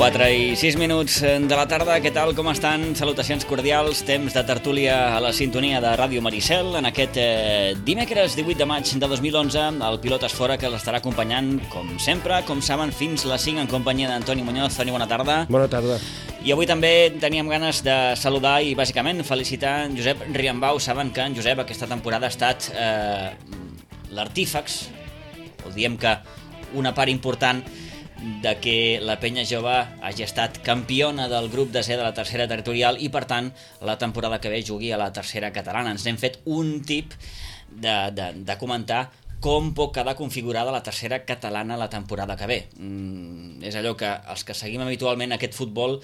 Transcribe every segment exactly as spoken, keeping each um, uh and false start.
quatre i sis minuts de la tarda. Què tal, com estan? Salutacions cordials, temps de tertúlia a la sintonia de Ràdio Maricel en aquest eh, dimecres divuit de maig de dos mil onze. El pilot és fora, que l'estarà acompanyant, com sempre, com saben, fins les cinc en companyia d'Antoni Muñoz. Toni, bona tarda. Bona tarda. I avui també teníem ganes de saludar i bàsicament felicitar en Josep Riambau. Saben que en Josep aquesta temporada ha estat eh, l'artífex, o diem que una part important de que la Penya Jove hagi estat campiona del grup de C de la tercera territorial i, per tant, la temporada que ve jugui a la tercera catalana. Ens hem fet un tip de, de, de comentar com pot quedar configurada la tercera catalana la temporada que ve. Mm, és allò que els que seguim habitualment aquest futbol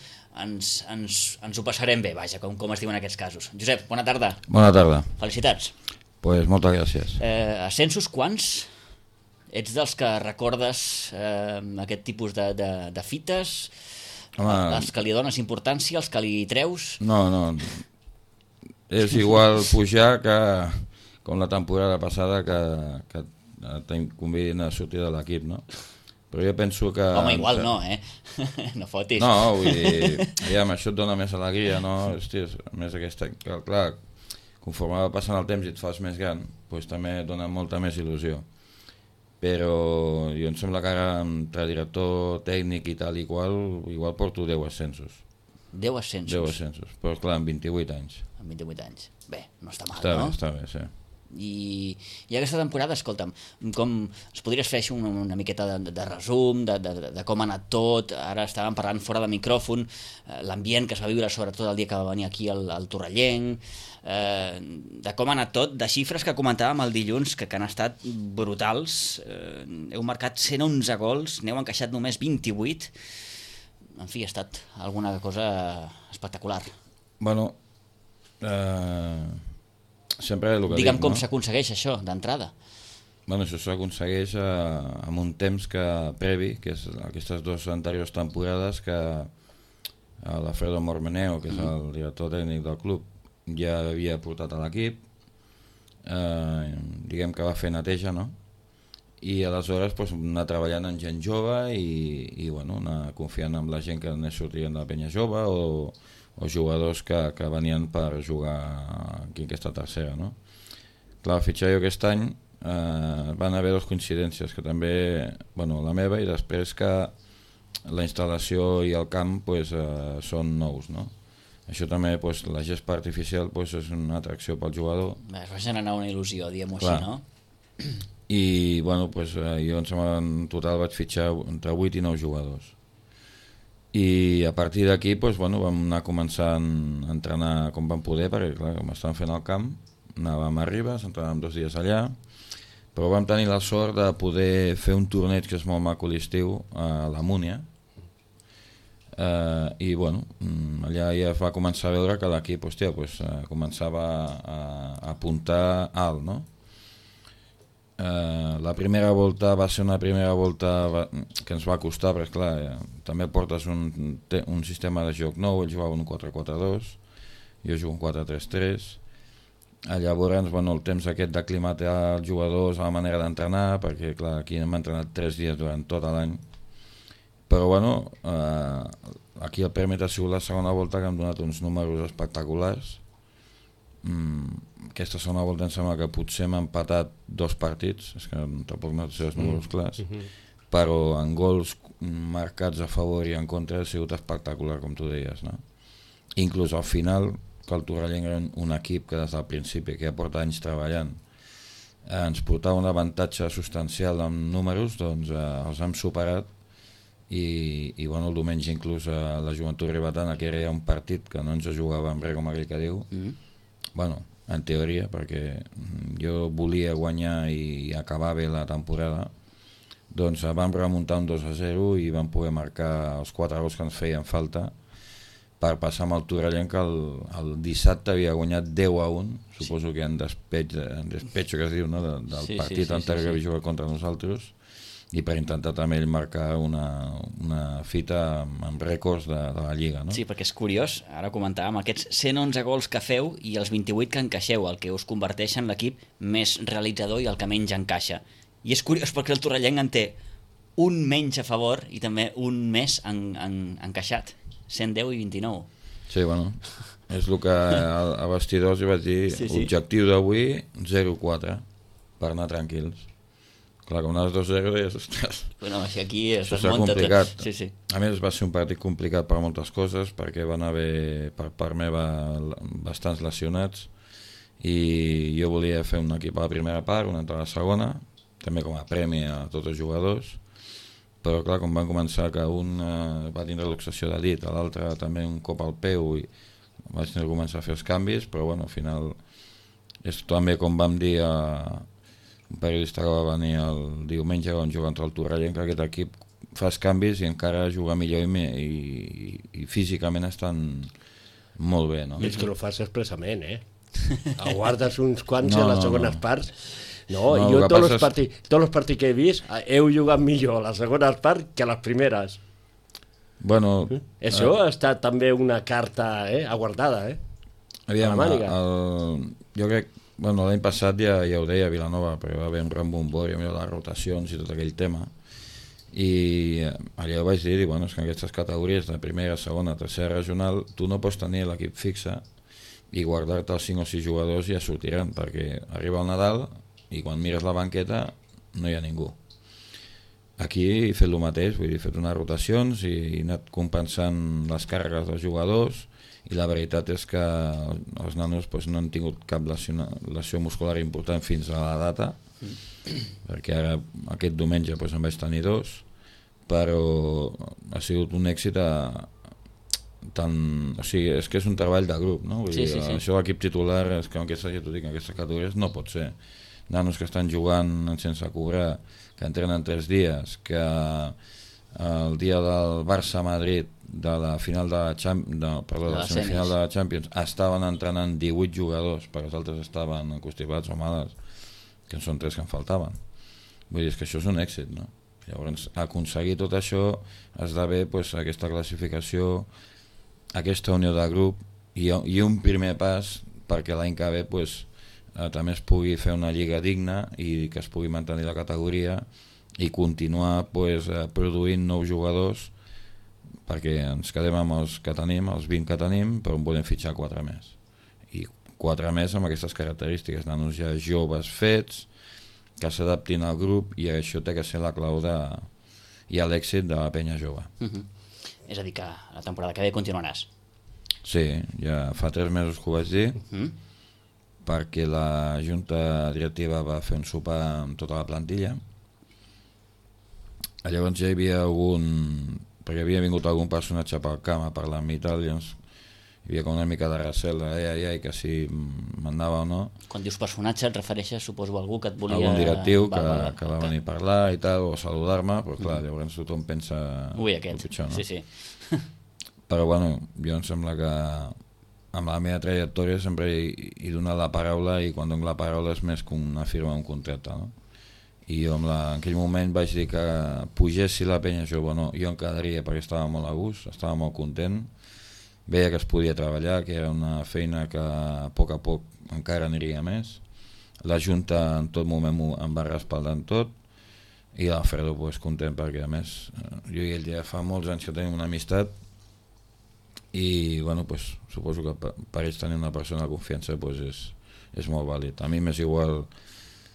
ens, ens, ens ho passarem bé, vaja, com, com es diu en aquests casos. Josep, bona tarda. Bona tarda. Felicitats. Pues moltes gràcies. Eh, ascensos quants? Ets dels que recordes eh, aquest tipus de, de, de fites? Home, els que li dones importància, els que li treus? No, no. És igual pujar que com la temporada passada que, que tenim convidint a sortir de l'equip, no? Però jo penso que... Home, igual no, eh? No fotis. No, vull dir, aviam, això et dona més alegria, no? Hòstia, més aquesta... Clar, conforme va passant el temps i et fas més gran, doncs també et dona molta més il·lusió. Però jo em sembla que ara entre director tècnic i tal i qual, igual porto deu ascensos. deu ascensos? deu ascensos, però clar, amb vint-i-vuit anys. Amb vint-i-vuit anys. Bé, no està mal, està no? Bé, està bé, sí. I, i aquesta temporada, escolta'm, com es podries fer una, una miqueta de, de resum de, de, de com ha anat tot? Ara estàvem parlant fora de micròfon, eh, l'ambient que es va viure sobretot el dia que va venir aquí el, el Torrellenc, eh, de com ha anat tot, de xifres que comentàvem el dilluns que, que han estat brutals. Eh, heu marcat cent onze gols, n'heu encaixat només vint-i-vuit. En fi, ha estat alguna cosa espectacular. Bueno, eh... sempre el que Digue'm dic, com no? s'aconsegueix això, d'entrada. Bueno, això s'aconsegueix eh, amb un temps que previ, que és aquestes dues anteriors temporades que eh, l'Alfredo Mormeneo, que és el director tècnic del club, ja havia portat a l'equip, eh, diguem que va fer neteja, no? I aleshores pues, anar treballant amb gent jove i, i bueno, anar confiant en la gent que anés sortint de la Penya Jove o o jugadors que, que venien per jugar aquí en aquesta tercera, no? Clar, el fitxar jo aquest any eh, van haver dues coincidències, que també, bueno, la meva i després que la instal·lació i el camp pues, eh, són nous, no? Això també, pues, la gespa artificial pues, és una atracció pel jugador. Bé, es va generar una il·lusió, diguem-ho així, no? I bueno, pues, eh, jo em sembla en total vaig fitxar entre vuit i nou jugadors. I a partir d'aquí doncs, bueno, vam anar començant a entrenar com vam poder, perquè clar, com estàvem fent al camp, anàvem a Ribes, entrenàvem dos dies allà, però vam tenir la sort de poder fer un torneig que és molt maco a l'estiu a la Múnia, eh, i bueno, allà ja es va començar a veure que l'equip hòstia, pues, eh, començava a, a apuntar alt, no? Uh, la primera volta va ser una primera volta va, que ens va costar, perquè clar, eh, també portes un, te, un sistema de joc nou, ells jugaven un quatre quatre dos, jo jugo un quatre tres tres, llavors bueno, el temps aquest d'aclimatar els jugadors a la manera d'entrenar, perquè clar, aquí hem entrenat tres dies durant tot l'any, però bueno, uh, aquí el pèrmit ha sigut la segona volta que hem donat uns números espectaculars. Mm, aquesta segona volta em sembla que potser hem empatat dos partits, és que tampoc no sé els números clars, mm-hmm. però en gols marcats a favor i en contra ha sigut espectacular, com tu deies, no? Inclús al final, que el Torrellenc era un equip que des del principi, que ja porta anys treballant, eh, ens portava un avantatge substancial en números, doncs eh, els hem superat i, i bueno, el diumenge inclús eh, la Joventut Ribetana, que era un partit que no ens jugava amb res, com aquell que diu, mm-hmm. Bueno, en teoria, perquè jo volia guanyar i acabar bé la temporada, doncs vam remuntar un dos a zero i vam poder marcar els quatre gols que ens feien falta per passar amb el Torrellenc, que el, el dissabte havia guanyat deu a un, suposo sí. Que en despeig, en despeig que es diu, no? de, del sí, partit sí, sí, anterior sí, sí. que havia jugat contra nosaltres, i per intentar també ell marcar una, una fita amb, amb rècords de, de la Lliga, no? Sí, perquè és curiós, ara comentàvem, aquests cent onze gols que feu i els vint-i-vuit que encaixeu, el que us converteix en l'equip més realitzador i el que menys encaixa. I és curiós perquè el Torrellenc en té un menys a favor i també un més en, en, encaixat, cent deu i vint-i-nou. Sí, bueno, és el que a, a vestidors hi vaig dir, sí, sí. Objectiu d'avui, zero quatre, per anar tranquils. Clar, com anaves dos zero, deies, ostres, bueno, aquí es això serà complicat. Sí, sí. A més, va ser un partit complicat per moltes coses, perquè van haver, per part meva, bastants lesionats, i jo volia fer un equip a la primera part, un altre a la segona, també com a premi a tots els jugadors, però clar, com van començar que un eh, va tindre luxació de dit, l'altre també un cop al peu, i vaig tenir que començar a fer els canvis, però bueno, al final és també com vam dir a un periodista que va venir el diumenge on juga contra el Torrellent, que aquest equip fa els canvis i encara juga millor i, i, i físicament estan molt bé, no? I és que ho fas expressament, eh? Aguardes uns quants no, a les no, segones no. parts. No, no jo tots els, és... partits, tots els partits que he vist heu jugat millor a les segones parts que a les primeres. Bueno, això eh, ha estat també una carta eh, aguardada, eh? Aviam, el, el, jo crec, bueno, l'any passat ja, ja ho deia a Vilanova, perquè va haver un rembombori amb les rotacions i tot aquell tema, i allà ho vaig dir, i, bueno, és que en aquestes categories de primera, segona, tercera regional, tu no pots tenir l'equip fixe i guardar-te els cinc o sis jugadors i ja sortiran, perquè arriba el Nadal i quan mires la banqueta no hi ha ningú. Aquí he fet el mateix, vull dir, he fet unes rotacions i he anat compensant les càrregues dels jugadors, i la veritat és que els nanos pues, no han tingut cap lesió, lesió muscular important fins a la data, perquè ara aquest diumenge pues, en vaig tenir dos, però ha sigut un èxit a, tant, o sigui, és que és un treball de grup, no? Vull sí, dir, sí, sí. Això l'equip titular és que en aquestes, ja t'ho dic, en aquestes categories no pot ser. Nanos que estan jugant sense cobrar, que entrenen tres dies, que el dia del Barça-Madrid de la final de la, Champ... de, perdó, de la semifinal de la Champions estaven entrenant divuit jugadors perquè els altres estaven constipats o malalts, que són tres que en faltaven. Vull dir, és que això és un èxit, no? Llavors, aconseguir tot això esdevé pues, aquesta classificació, aquesta unió de grup i, i un primer pas perquè l'any que ve pues, eh, també es pugui fer una lliga digna i que es pugui mantenir la categoria i continuar pues, eh, produint nous jugadors, perquè ens quedem amb els que tenim, els vint que tenim, però en volem fitxar quatre més. I quatre més amb aquestes característiques, nanos ja joves fets, que s'adaptin al grup, i això té que ser la clau de, i l'èxit de la penya jove. Uh-huh. És a dir, que la temporada que ve continuaràs. Sí, ja fa tres mesos que ho vaig dir, uh-huh. perquè la junta directiva va fer un sopar amb tota la plantilla. Llavors ja hi havia algun, perquè havia vingut algun personatge pel camp a parlar amb mi i tal, llavors hi havia com una mica de recel, ai, ai, ai, que si m'anava o no. Quan dius personatge et refereixes, suposo, a algú que et volia... Algun directiu va, que, va, va, que va venir a parlar i tal, o saludar-me, però clar, llavors tothom pensa... Ui, aquest, pitjor, no? sí, sí. Però bueno, jo em sembla que amb la meva trajectòria sempre he, he donat la paraula, i quan dono la paraula és més que una firma, un contracte, no? I jo en, la, en aquell moment vaig dir que pugessi la penya jove o no, jo em quedaria perquè estava molt a gust, estava molt content, veia que es podia treballar, que era una feina que a poc a poc encara aniria més. La Junta en tot moment em va respaldar en tot, i l'Alfredo pues, content perquè a més jo i ell ja fa molts anys que tenim una amistat, i bueno, pues, suposo que per, per ells tenir una persona de confiança pues, és, és molt vàlid. A mi m'és igual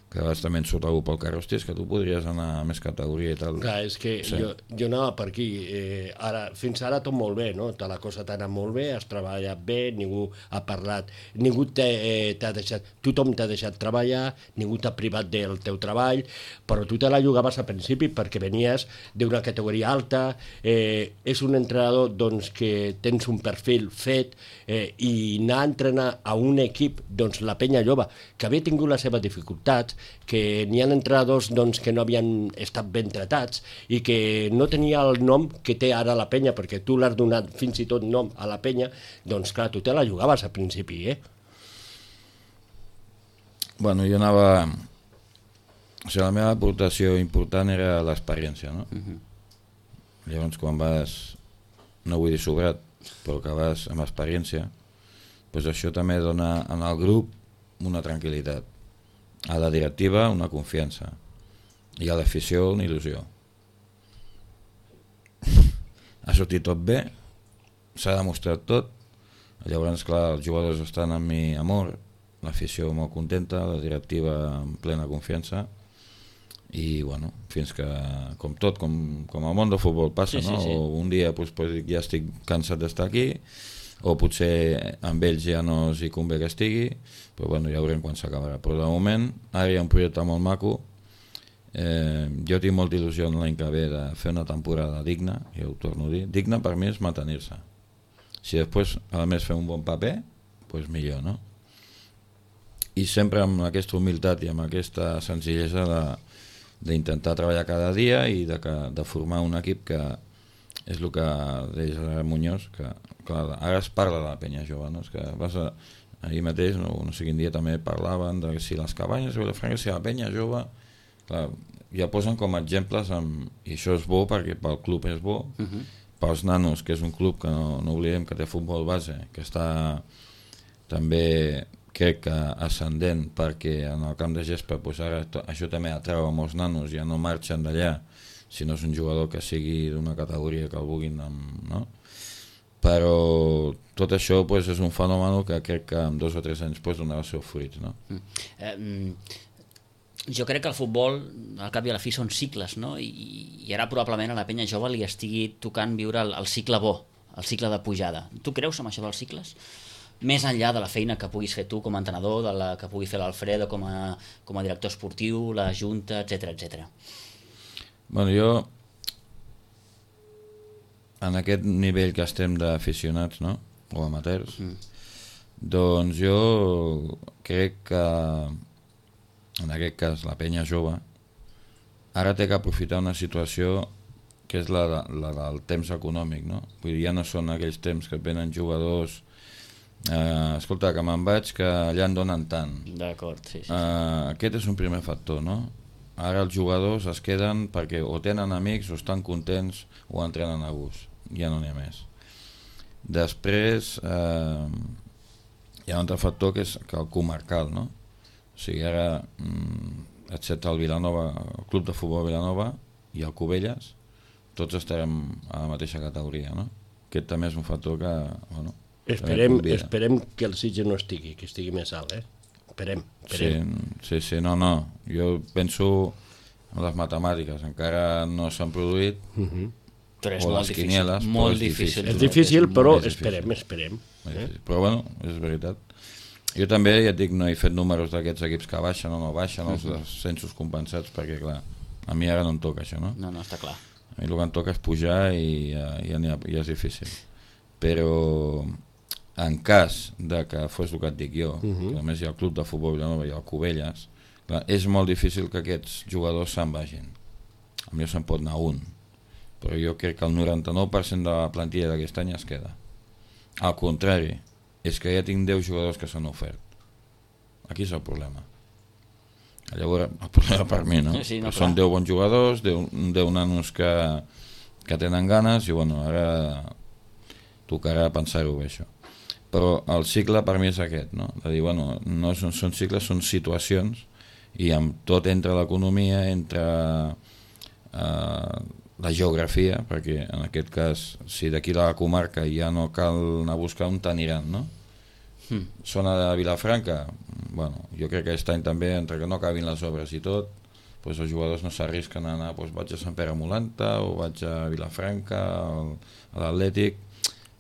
que vas també surt algú pel carrer, hòstia, és que tu podries anar a més categoria i tal. Clar, és que sí. jo, jo anava per aquí, eh, ara, fins ara tot molt bé, no? Tota la cosa t'ha anat molt bé, has treballat bé, ningú ha parlat, ningú t'ha eh, deixat, tothom t'ha deixat treballar, ningú t'ha privat del teu treball, però tu te la jugaves al principi perquè venies d'una categoria alta, eh, és un entrenador doncs, que tens un perfil fet, eh, i anar a entrenar a un equip, doncs la penya jove, que havia tingut les seves dificultats, que n'hi ha entrenadors doncs, que no havien estat ben tratats i que no tenia el nom que té ara la penya, perquè tu l'has donat fins i tot nom a la penya, doncs clar, tu te la jugaves al principi, eh? Bueno, jo anava... O sigui, la meva aportació important era l'experiència, no? Uh-huh. Llavors, quan vas, no vull dir sobrat, però que vas amb experiència, doncs això també dona en el grup una tranquil·litat. A la directiva una confiança i a l'afició una il·lusió. ha sortit tot bé, s'ha demostrat tot, llavors, clar, els jugadors estan amb mi amor, l'afició molt contenta, la directiva en plena confiança, i bueno, fins que, com tot, com, com el món del futbol passa, sí, sí, no? Sí. O un dia pues, pues, ja estic cansat d'estar aquí, o potser amb ells ja no s'hi convé que estigui, però bueno, ja veurem quan s'acabarà. Però de moment, ara hi ha un projecte molt maco. Eh, jo tinc molta il·lusió l'any que ve de fer una temporada digna, ja ho torno a dir. Digna per mi és mantenir-se. Si després, a més, fer un bon paper, doncs millor, no? I sempre amb aquesta humilitat i amb aquesta senzillesa d'intentar treballar cada dia i de, que, de formar un equip que és el que deia Muñoz, que clar, ara es parla de la penya jove, no? És que vas a, ahir mateix, no, no sé quin dia també parlaven de si les cabanyes, si la penya jove, clar, ja posen com a exemples amb, i això és bo perquè pel club és bo, uh-huh. Pels nanos, que és un club que no, no oblidem que té futbol base, que està també crec que ascendent, perquè en el camp de gespa pues ara to, això també atreu a molts nanos, ja no marxen d'allà si no és un jugador que sigui d'una categoria que el vulguin, no? Però tot això pues, és un fenomen que crec que en dos o tres anys pues, donarà els seus fruits, no? Mm. Eh, jo crec que el futbol al cap i a la fi són cicles, no? I, i ara probablement a la penya jove li estigui tocant viure el, el cicle bo, el cicle de pujada. Tu creus en això dels cicles? Més enllà de la feina que puguis fer tu com a entrenador, de la que pugui fer l'Alfredo com, a, com a director esportiu, la Junta, etcètera, etcètera. Bueno, jo en aquest nivell que estem d'aficionats, no? O amateurs, mm. doncs jo crec que en aquest cas la penya jove ara té que aprofitar una situació que és la, la del temps econòmic, no? Vull dir, ja no són aquells temps que venen jugadors eh, escolta, que me'n vaig que allà en donen tant. D'acord, sí, sí. Eh, aquest és un primer factor, no? Ara els jugadors es queden perquè o tenen amics o estan contents o entrenen a gust, ja no n'hi ha més. Després eh, hi ha un altre factor que és que el comarcal, no? O sigui, ara, excepte el Vilanova, el club de futbol Vilanova i el Cubelles, tots estarem a la mateixa categoria, no? Aquest també és un factor que, bueno... Esperem, esperem que el Sitges no estigui, que estigui més alt, eh? Esperem, esperem. Sí, sí, sí, no, no. Jo penso en les matemàtiques, encara no s'han produït, uh-huh. Però és o molt les difícil, quinieles, molt és difícil. difícil. És difícil, però és esperem, difícil. esperem. Eh? Però bueno, és veritat. Jo també, ja et dic, no he fet números d'aquests equips que baixen o no baixen, els uh-huh. descensos compensats, perquè clar, a mi ara no em toca això, no? No, no, està clar. A mi el que em toca és pujar i ja, ja, ha, ja és difícil. Però en cas de que fos el que et dic jo, uh-huh. que a més hi ha el club de futbol Vilanova i el Cubelles, clar, és molt difícil que aquests jugadors se'n vagin. A mi se'n pot anar un, però jo crec que el noranta-nou per cent de la plantilla d'aquest any es queda. Al contrari, és que ja tinc deu jugadors que s'han ofert. Aquí és el problema. Llavors, el problema per mi, no? Sí, no són deu bons jugadors, deu nanos que, que tenen ganes, i bueno, ara tocarà pensar-ho bé, això. Però el cicle per mi és aquest, no? De dir, bueno, no són, són cicles, són situacions, i amb tot entre l'economia, entre eh, la geografia, perquè en aquest cas, si d'aquí a la comarca ja no cal anar a buscar on t'aniran, no? Mm. Zona de Vilafranca, bueno, jo crec que aquest any també, entre que no acabin les obres i tot, doncs els jugadors no s'arrisquen a anar, doncs vaig a Sant Pere Molanta o vaig a Vilafranca, a l'Atlètic,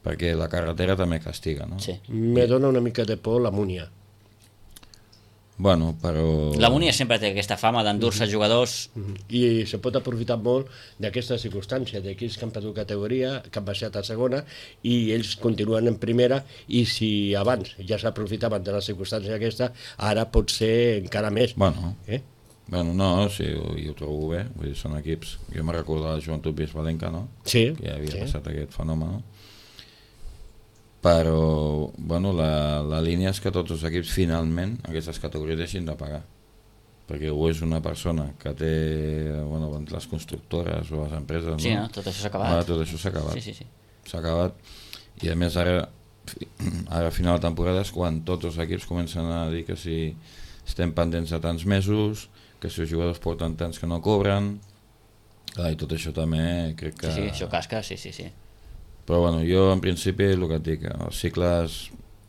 perquè la carretera també castiga, no? Sí. Me dona una mica de por la Múnia. Bueno, però... La Múnia sempre té aquesta fama d'endur-se mm-hmm. jugadors... Mm-hmm. I se pot aprofitar molt d'aquesta circumstància, d'aquells que han perdut categoria, que han baixat a segona, i ells continuen en primera, i si abans ja s'aprofitaven de la circumstància aquesta, ara pot ser encara més. Bueno, eh? bueno no, sí, jo, jo ho trobo bé, vull dir, són equips... Jo me'n recordo de la Joventut Bisbalenca, no? Sí. Que ja havia sí. passat aquest fenomen, no? Però bueno, la, la línia és que tots els equips finalment aquestes categories deixin de pagar, perquè o és una persona que té bueno, les constructores o les empreses, sí, no? No? Tot això s'ha acabat. Ah, tot això s'ha acabat. Sí, sí, sí. S'ha acabat, i a més ara ara a final de temporada és quan tots els equips comencen a dir que si estem pendents de tants mesos, que si els jugadors porten tants que no cobren, clar, i tot això també crec que... Sí, sí, això casca, sí, sí, sí. Però bueno, jo en principi el que et dic, els cicles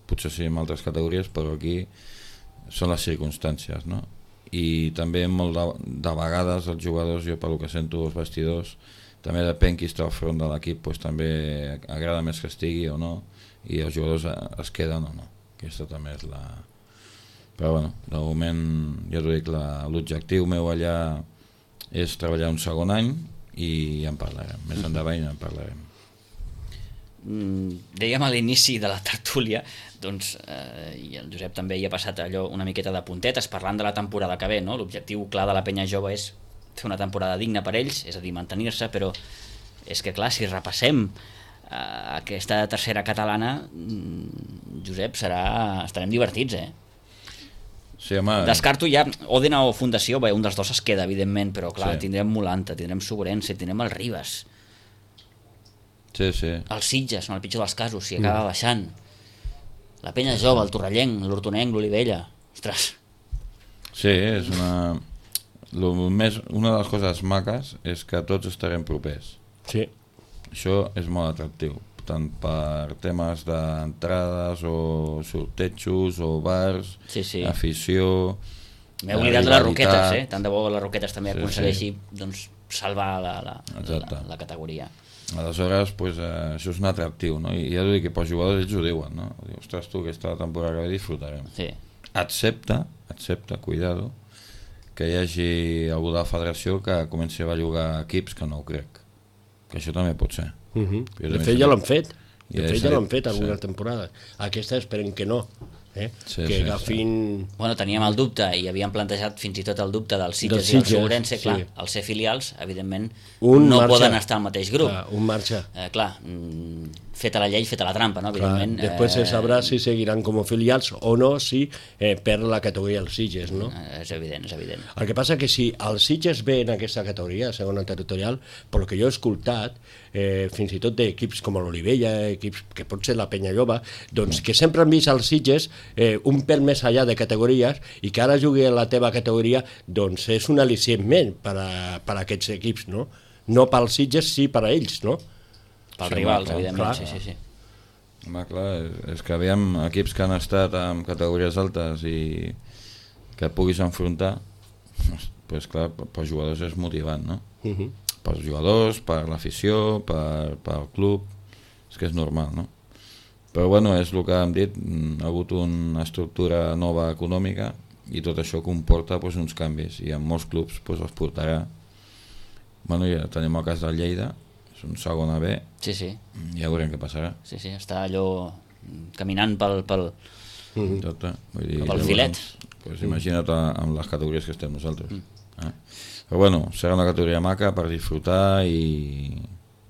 potser sí en altres categories, però aquí són les circumstàncies, no? I també molt de, de vegades els jugadors, jo pel que sento els vestidors, també depèn qui està al front de l'equip, doncs també agrada més que estigui o no, i els jugadors es queden o no. Aquesta també és la... Però bueno, de moment ja t'ho dic, l'objectiu meu allà és treballar un segon any i ja en parlarem, més endavant ja en parlarem. Dèiem a l'inici de la tertúlia, doncs, eh, i el Josep també hi ha passat allò una miqueta de puntetes parlant de la temporada que ve, no? L'objectiu clar de la penya jove és fer una temporada digna per ells, és a dir, mantenir-se, però és que clar, si repassem eh, aquesta tercera catalana, Josep, serà... estarem divertits, eh? Sí, home... Descarto ja Òdena o Fundació, bé, un dels dos es queda, evidentment, però clar, sí. Tindrem Molanta, tindrem Sobrense, tindrem el Ribes. Sí, sí. Els Sitges, en el pitjor dels casos, si acaba mm. baixant. La penya jove, el Torrellenc, l'Hortonenc, l'Olivella. Ostres. Sí, és una... Lo més, una de les coses maques és que tots estarem propers. Sí. Això és molt atractiu, tant per temes d'entrades o sortejos o bars, sí, sí. afició... M'he oblidat de les Roquetes, eh? Tant de bo les Roquetes també sí, aconsegueixi sí. doncs, salvar la, la, la, la categoria. Aleshores, pues, eh, això és un atractiu, no? I ja t'ho dic que pels jugadors ells ho diuen, no? Diu, ostres, tu, aquesta temporada que disfrutarem. Sí. Excepte, excepte, cuidado, que hi hagi algú de la federació que comenci a bellugar equips, que no ho crec. Que això també pot ser. Uh-huh. De fet, ja l'han fet. De ja fet, ja l'han fet alguna sí. temporada. Aquesta esperem que no. Eh? Sí, que sí, agafin... sí. Bueno, teníem el dubte i havíem plantejat fins i tot el dubte dels Sitges, Sitges i el Sobrense, clar, sí. els ser filials, evidentment, un no marxa. Poden estar al mateix grup. Clar, un marxa. Eh, clar, mm, feta la llei, feta la trampa, no? Evidentment. Clar, després eh... se sabrà si seguiran com a filials o no, si eh, per la categoria dels Sitges, no? Eh, és evident, és evident. El que passa que si els Sitges ve en aquesta categoria, segona territorial, pel que jo he escoltat, eh, fins i tot d'equips com l'Olivella, equips que pot ser la Penya Jove, doncs que sempre han vist els Sitges eh, un pèl més allà de categories i que ara jugui a la teva categoria, doncs és un al·licient per a, per a aquests equips, no? No pels Sitges, sí per a ells, no? Pels sí, rivals, clar, evidentment, clar. sí, sí, sí. Home, clar, és que aviam equips que han estat en categories altes i que puguis enfrontar, doncs clar, pels jugadors és motivant, no? Uh-huh. Pels jugadors, per l'afició, per, pel club, és que és normal, no? Però bueno, és el que hem dit, ha hagut una estructura nova econòmica i tot això comporta doncs, uns canvis i en molts clubs doncs, els portarà. Bueno, ja tenim el cas del Lleida, és un segon A B, sí, sí. Ja veurem què passarà. Sí, sí, està allò caminant pel, pel, mm. Tot, eh? Vull dir, pel filet. Pues imagina't amb les categories que estem nosaltres. Mm. Eh? Però bueno, serà una categoria maca per disfrutar i,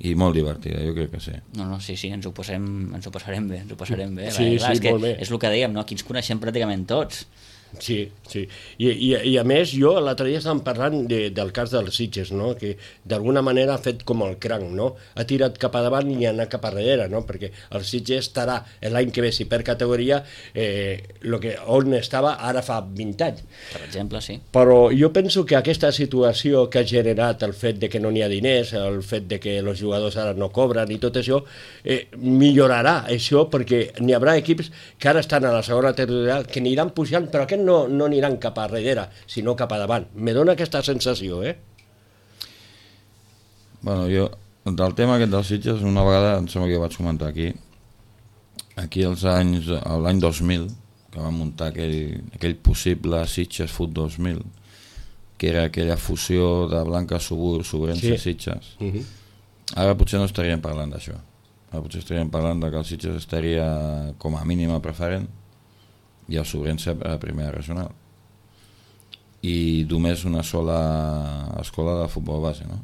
i molt divertida, jo crec que sí. No, no, sí, sí, ens ho, passem, ens ho passarem bé, ens ho passarem bé. Sí, clar, sí, és que molt bé. és el que dèiem, no? Aquí ens coneixem pràcticament tots. Sí, sí. I, i, i a més, jo l'altre dia estàvem parlant de, del cas dels Sitges, no? Que d'alguna manera ha fet com el cranc, no? Ha tirat cap a davant i ha anat cap a darrere, no? Perquè el Sitges estarà l'any que ve, si per categoria, eh, lo que, on estava ara fa vint anys. Per exemple, sí. Però jo penso que aquesta situació que ha generat el fet de que no n'hi ha diners, el fet de que els jugadors ara no cobren i tot això, eh, millorarà això perquè n'hi haurà equips que ara estan a la segona territorial que aniran pujant, però aquest no, no aniran cap a darrere, sinó cap a davant. Me dona aquesta sensació, eh? Bueno, jo, del tema aquest dels Sitges, una vegada, em sembla que jo vaig comentar aquí, aquí als anys, l'any dos mil, que vam muntar aquell, aquell possible Sitges Foot dos mil, que era aquella fusió de Blanca Subur, Sobrense, sí. Sitges. Uh-huh. Ara potser no estaríem parlant d'això. Ara potser estaríem parlant de que el Sitges estaria com a mínima preferent i el Sobrense a primera regional. I només una sola escola de futbol base, no?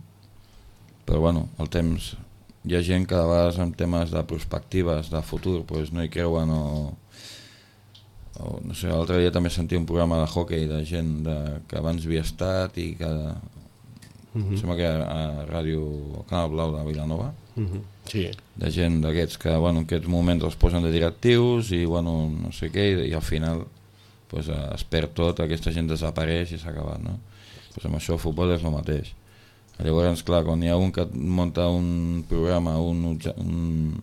Però bueno, el temps... Hi ha gent que de vegades en temes de perspectives, de futur, doncs no hi creuen o... o no sé, l'altre dia també sentia un programa de hockey de gent de, que abans havia estat i que... Uh-huh. Sembla que a ràdio, al Canal Blau de Vilanova, uh-huh. Sí. De gent d'aquests que bueno, en aquests moments els posen de directius i bueno, no sé què, i, i al final pues, es perd tot, aquesta gent desapareix i s'ha acabat, no? Pues amb això el futbol és el mateix. Llavors, clar, quan hi ha un que munta un programa, un, un,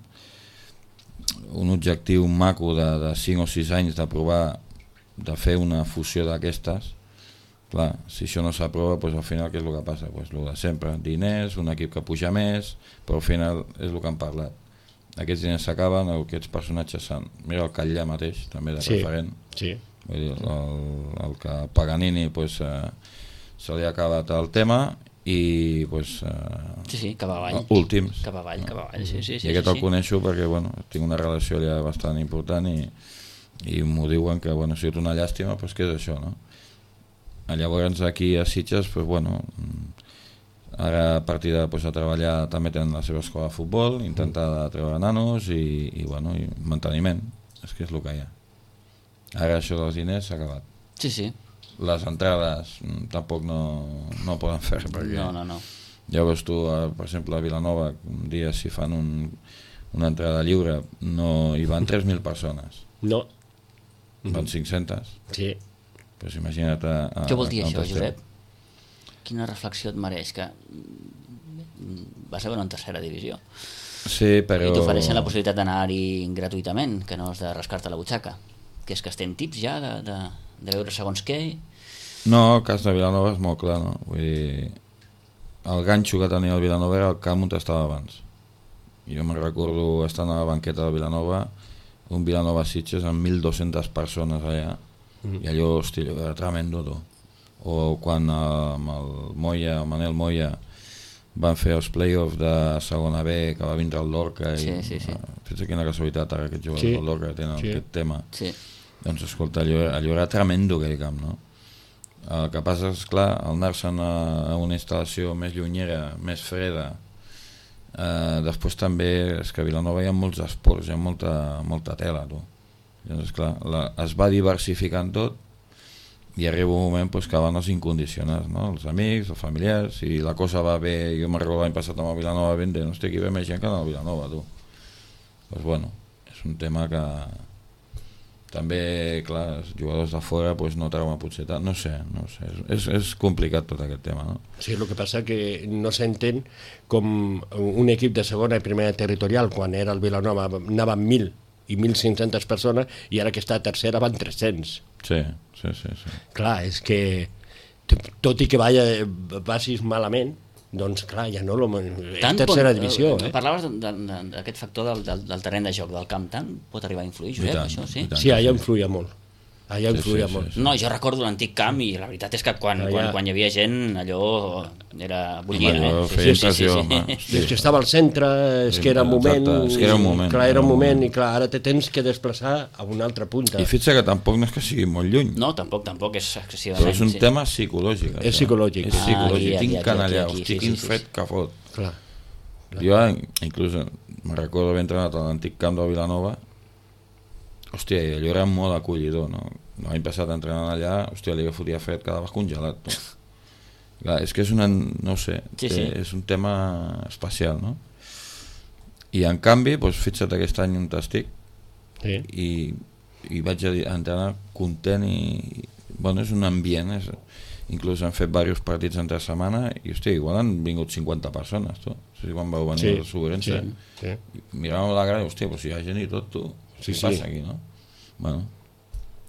un objectiu maco de, de cinc o sis anys de provar de fer una fusió d'aquestes, clar, si això no s'aprova, doncs al final què és el que passa? Pues el de sempre, diners, un equip que puja més, però al final és el que han parlat. Aquests diners s'acaben, aquests personatges s'han... Mira el Catllà mateix, també de sí, referent. Sí. Vull dir, el, el que Paganini pues, eh, se li ha acabat el tema i pues, eh, sí, sí, cap avall. Últims. Cap avall, cap avall, sí, sí. sí I aquest sí, el coneixo perquè bueno, tinc una relació allà bastant important i, i m'ho diuen que bueno, ha sigut una llàstima, però que és això, no? Llavors aquí a Sitges, pues, bueno, ara a partir de pues, a treballar també tenen la seva escola de futbol, intentar treure nanos i, i, bueno, i manteniment, és que és el que hi ha. Ara això dels diners s'ha acabat. Sí, sí. Les entrades tampoc no, no poden fer perquè no, no, no. ja veus tu, per exemple a Vilanova un dia si fan un, una entrada lliure no, hi van tres mil persones, no van cinc-centes, sí. Pues imagina't a, a, què vol dir a això, esteu. Josep? Quina reflexió et mereix que vas a veure en tercera divisió sí, però... i t'ofereixen la possibilitat d'anar-hi gratuïtament, que no has de rascar-te la butxaca, que és que estem tips ja de, de, de veure segons què. No, el cas de Vilanova és molt clar, no? Vull dir, el ganxo que tenia el Vilanova era el camp on estava abans. Jo me'n recordo estant a la banqueta del Vilanova, un Vilanova Sitges amb mil dues-centes persones allà, mm. i allò, hosti, allò era tremendo, tu. O quan amb el Moya, el Manel Moya, van fer els play-offs de segona B, que va vindre el Lorca, i sí, sí, sí. Fes quina casualitat ara aquests jugadors sí. del Lorca que tenen sí. aquest tema. Sí. Doncs escolta, allò, allò era tremendo aquell camp, no? El que passa és, clar, al anar-se'n a, a una instal·lació més llunyera, més freda, eh, després també és que a Vilanova hi ha molts esports, hi ha molta, molta tela, tu. Llavors, clar, la, es va diversificant tot i arriba un moment pues, que van els incondicionats, no? Els amics, els familiars, si la cosa va bé, jo me'n recordo l'any passat amb el Vilanova ben bé, no estic aquí bé més gent que en el Vilanova, tu. Doncs bueno, és un tema que... També, clar, els jugadors de fora pues, no treuen potser tant, no sé, no sé, és, és complicat tot aquest tema, no? Sí, el que passa que no s'entén com un equip de segona i primera territorial, quan era el Vilanova, anaven mil i mil cinc-centes persones, i ara que està a tercera van tres-cents. Sí, sí, sí, sí. Clar, és que tot i que vaya, passis malament, doncs clar, ja no, és tercera pot, divisió. Eh? Parlaves d'aquest factor del, del, del terreny de joc, del camp, tant pot arribar a influir, Josep, tant, això, sí? Sí, allà influïa molt. Allà influïa sí, sí, molt. sí, sí. No, jo recordo l'antic camp i la veritat és que quan, allà... quan, quan hi havia gent allò era bullia, allò eh? feia Sí, sí, sí, impressió, sí, sí. És que estava al centre, és que era un moment... Exacte, és que era un moment. Clar, era un moment, i clar, ara te tens que desplaçar a una altra punta. I fixa que tampoc no és que sigui molt lluny. No, tampoc, tampoc és excessivament. Però és un sí. tema psicològic. És psicològic. És psicològic, Ah, aquí, tinc aquí, can allà, aquí, aquí, hosti, sí, quin sí, sí. fred que fot. Clar. Jo, inclús, me'n recordo haver entrenat a l'antic camp de Vilanova, hòstia, allò era molt acollidor, no? L'any passat entrenant allà, hòstia, li fotia fred, quedaves congelat. No? Clar, és que és una, no sé, Sí, sí. és un tema especial, no? I en canvi, doncs, fixa't aquest any on estic, Sí. i, i vaig a entrenar content i, bueno, és un ambient, és, inclús han fet diversos partits entre setmana i, hòstia, igual han vingut cinquanta persones, tu. O sigui, quan vau venir Sí, a l'Assugurença, sí, sí. miràvem la grada i, hòstia, però si hi ha gent i tot, tu, Sí, què sí. passa aquí, no? Bueno,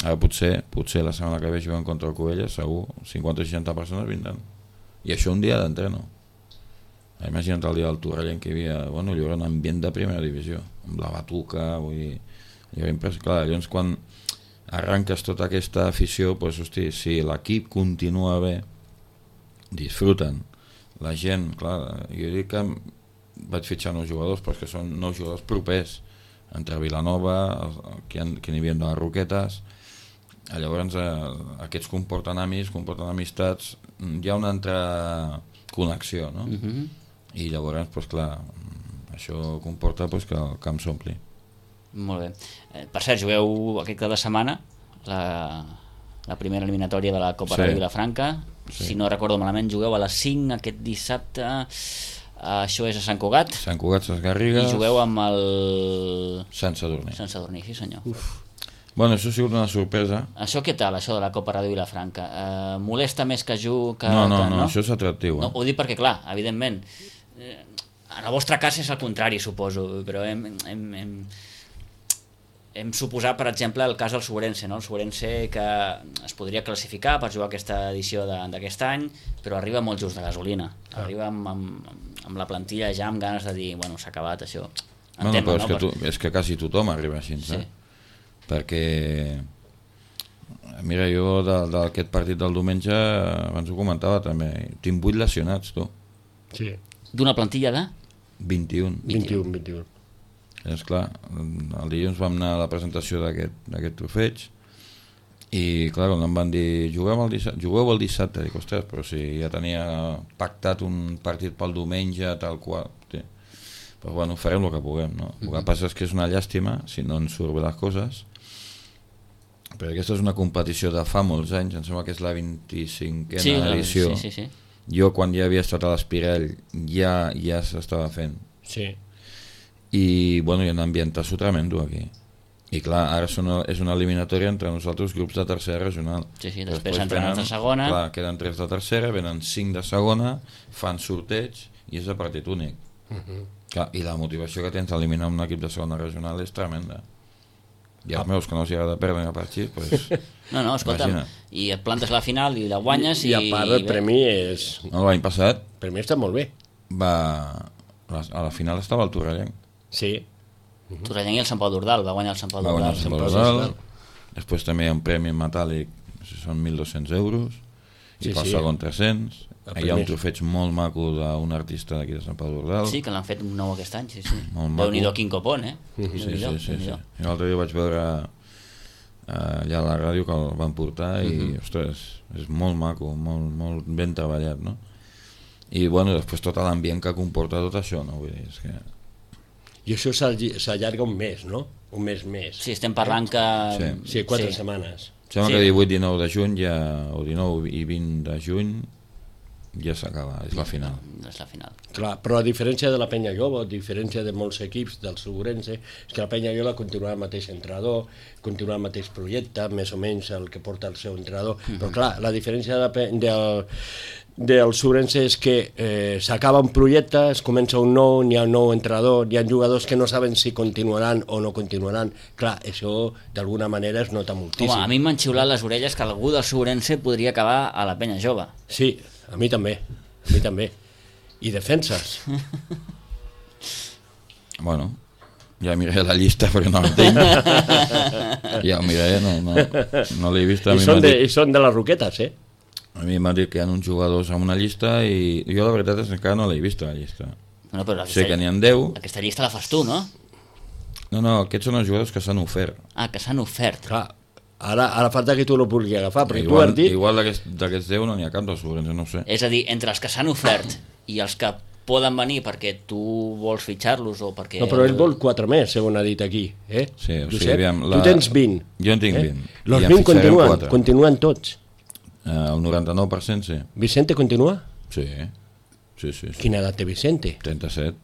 ara potser, potser la setmana que ve jugant contra el Covelles, segur, cinquanta o seixanta persones vindran. I això un dia d'entreno. Imagina't el dia del Torrellent que hi havia, bueno, allò era un ambient de primera divisió, amb la batuca, vull dir, allò era impressionant. Clar, llavors quan arranques tota aquesta afició, doncs, hosti, si l'equip continua bé, disfruten, la gent, clar, jo dic que vaig fitxar nous jugadors, però que són nous jugadors propers, entre Vilanova, que n'hi havia de les Roquetes, llavors eh, aquests comporten amics, comporten amistats, hi ha una altra connexió, no? Uh -huh. I llavors, pues, clar, això comporta pues, que el camp s'ompli. Molt bé. Eh, per cert, jugueu aquest cap de setmana la, la primera eliminatòria de la Copa Sí. Ràdio Vilafranca. Sí. Si no recordo malament, jugueu a les cinc aquest dissabte. Això és a Sant Cugat. Sant Cugat, Ses Garrigues... I jugueu amb el... Sant Sadurní. Sant Sadurní, sí senyor. Uf. Bueno, això ha sigut una sorpresa. Això què tal, això de la Copa Ràdio Vilafranca? Eh, molesta més que ju... Que, No, no, que, no, això és atractiu. Eh? No, ho dic perquè, clar, evidentment, eh, en el vostre cas és el contrari, suposo, però hem, hem, hem, hem suposat, per exemple, el cas del Sobrense, no? El Sobrense que es podria classificar per jugar aquesta edició d'aquest any, però arriba molt just de gasolina. Ah. Arriba amb, amb, amb la plantilla ja amb ganes de dir, bueno, s'ha acabat això. En Bueno, tema, però és, no? que tu, és que quasi tothom arriba així, Sí. eh? Perquè mira, jo d'aquest partit del diumenge abans ho comentava també, tinc vuit lesionats, tu. Sí. D'una plantilla de? vint-i-un. vint-i-un, vint-i-un. És clar, el dilluns vam anar a la presentació d'aquest trofeig i clar, quan em van dir jugueu el dissabte, jugueu el dissabte, dic, ostres, però si ja tenia pactat un partit pel diumenge tal qual, sí. Però bueno, farem el que puguem, no? El que passa és que és una llàstima si no ens surt bé les coses, perquè aquesta és una competició de fa molts anys, em sembla que és la vint-i-cinquena Sí, edició. sí, sí, sí. Jo quan ja havia estat a l'Espirell ja ja s'estava fent. Sí. I bueno, hi ha un ambientazo tremendo aquí. I clar, ara són, és una eliminatòria entre nosaltres grups de tercera regional. Sí, sí, després entren els de segona. Clar, queden tres de tercera, venen cinc de segona, fan sorteig i és a partit únic. Uh -huh. Clar, i la motivació que tens d'eliminar un equip de segona regional és tremenda. I els meus que no els agrada perdre a partit, pues, No, no, escolta'm, imagina. i et plantes a la final i la guanyes i... I a part el premi és... No, l'any passat El premi està molt bé. va... a la final estava el Torrellenc. Sí. Torrellenc i el Sant Pau d'Ordal, va guanyar el Sant Pau Va guanyar d'Ordal. el Sant Pau Pau d'Ordal. Després també hi ha un premi en metàl·lic, són mil dos-cents euros, i Sí, pel sí. segon tres-cents. El Hi ha un primer. trofeig molt maco d'un artista d'aquí de Sant Pau d'Ordal. Sí, que l'han fet un nou aquest any, sí, sí. Molt maco. Déu-n'hi-do quin copon, eh? Sí, sí, Déu-n'hi-do, sí, sí. Déu-n'hi-do. I l'altre dia vaig veure eh, allà a la ràdio que el van portar i, Mhm. ostres, és molt maco, molt, molt ben treballat, no? I, bueno, després tot l'ambient que comporta tot això, no? Vull dir, és que... I això s'alli- s'allarga un mes, no? Un mes més. Sí, estem parlant que... Sí. Sí, quatre setmanes. Sembla Sí. que divuit dinou de juny ja, o dinou i vint de juny ja s'acaba, és la final. És la final. Clar, però a diferència de la Penya Jove, a diferència de molts equips del Segurense, és que la Penya Jove continua el mateix entrenador, continua el mateix projecte, més o menys el que porta el seu entrenador, mm -hmm. però clar, la diferència de la, Pe- del, del Segurense és que eh, s'acaba un projecte, es comença un nou, n'hi ha un nou entrenador, hi ha jugadors que no saben si continuaran o no continuaran. Clar, això d'alguna manera es nota moltíssim. Home, a mi m'han xiulat les orelles que algú del Sobrense podria acabar a la Penya Jove. Sí, a mi també, a mi també. I defenses. Bueno, ja miraré la llista perquè no l'entenc. Ja ho miraré, no, no, no l'he vist. A I mi són, m'ha de, dit, I són de les Roquetes, eh? a mi m'ha dit que hi ha uns jugadors amb una llista i jo la veritat és que encara no l'he vist la llista. Bueno, però Sé aquesta, que n'hi ha deu. aquesta llista la fas tu, no? No, no, aquests són els jugadors que s'han ofert. Ah, que s'han ofert. Clar, ara, ara falta que tu no pugui agafar, perquè tu Igual, has dit... igual d'aquests d'aquests deu no n'hi ha cap dels Sobrense, no ho sé. És a dir, entre els que s'han ofert i els que poden venir perquè tu vols fitxar-los o perquè... No, però ell vol quatre més, segons ha dit aquí. Eh? Sí, o sigui, Josep, aviam, la- tu tens vint. Jo en tinc eh? vint. Los I en vint fixarem continuen, quatre. continuen tots. Eh, el noranta-nou per cent sí. Vicente continua? Sí, sí, sí. sí. Quina edat té Vicente? trenta-set.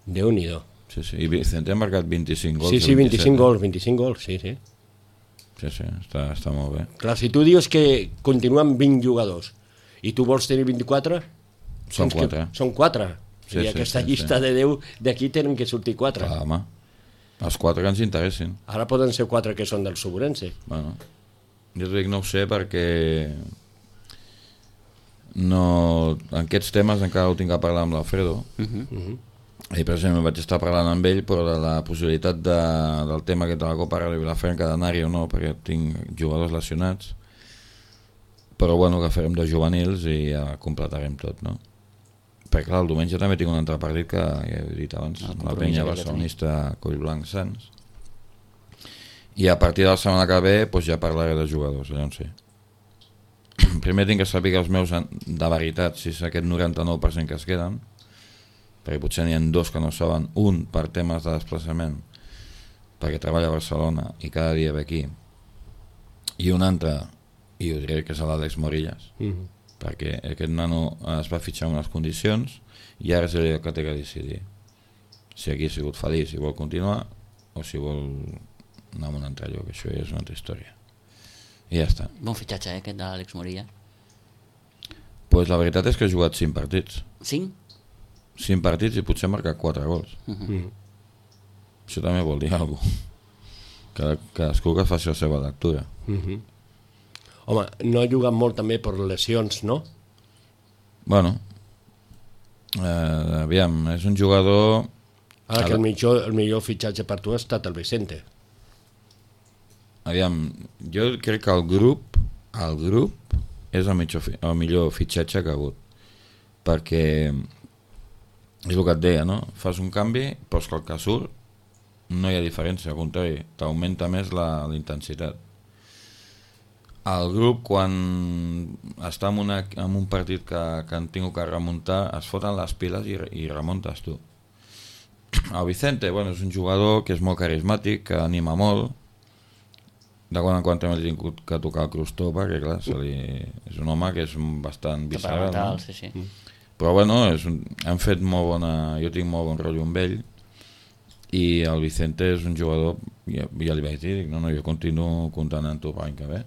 Déu-n'hi-do. Sí, sí. I Vicente ha marcat vint-i-cinc gols. Sí, sí, o vint-i-cinc eh? gols, vint-i-cinc gols, sí, sí. Sí, sí, està, està molt bé. Clar, si tu dius que continuen vint jugadors i tu vols tenir vint-i-quatre... Són doncs que quatre. Són quatre. Sí, I sí, aquesta sí, llista sí. de deu d'aquí tenen que sortir quatre. Clar, home. Els quatre que ens interessin. Ara poden ser quatre que són del Segurense. Bueno, jo t'ho dic, no ho sé perquè no, en aquests temes encara ho tinc a parlar amb l'Alfredo. Uh -huh. Uh -huh. I per exemple vaig estar parlant amb ell però de la possibilitat de, del tema aquest de la Copa Ràdio Vilafranca d'anar-hi o no, perquè tinc jugadors lesionats, però bueno, que farem de juvenils i ja completarem tot, no? Perquè clar, el diumenge també tinc un altre partit que ja he dit abans, El la compromís penya aquell que barcelonista Collblanc Sants, i a partir de la setmana que ve doncs ja parlaré de jugadors, allò en sé. Primer tinc que saber els meus de veritat, si és aquest noranta-nou per cent que es queden, perquè potser n'hi ha dos que no saben, un per temes de desplaçament perquè treballa a Barcelona i cada dia ve aquí, i un altre, i ho diré que és l'Àlex Morillas, Uh -huh. perquè aquest nano es va fitxar en unes condicions i ara és el que té que decidir si aquí ha sigut feliç, si vol continuar o si vol anar a un altre lloc, això ja és una altra història. I ja està. Bon fitxatge, eh, aquest de l'Àlex Morilla. Pues la veritat és que he jugat cinc partits. Cinc? Cinc partits i potser he marcat quatre gols. Uh -huh. Mm. Això també vol dir alguna cosa. Cada, cadascú que faci la seva lectura. Mm -hmm. Home, no ha jugat molt també per lesions, no? Bueno, eh, aviam, és un jugador... Ara que el millor, el millor fitxatge per tu ha estat el Vicente. Aviam, jo crec que el grup, el grup és el, mitjor, el millor fitxatge que ha hagut. Perquè és el que et deia, no? Fas un canvi, però és que el que surt no hi ha diferència, al contrari, t'augmenta més la, la intensitat. El grup, quan està en, una, en un partit que, que han tingut que remuntar, es foten les piles i, i remuntes tu. El Vicente, bueno, és un jugador que és molt carismàtic, que anima molt. De quan en quan també he tingut que tocar el crostó, perquè clar, se li... és un home que és bastant visceral, no? Sí, sí. Però bueno, és un... han fet molt bona... jo tinc molt bon rotllo amb ell, i el Vicente és un jugador, ja, ja li vaig dir, dic, no, no, jo continuo comptant amb tu per l'any que ve.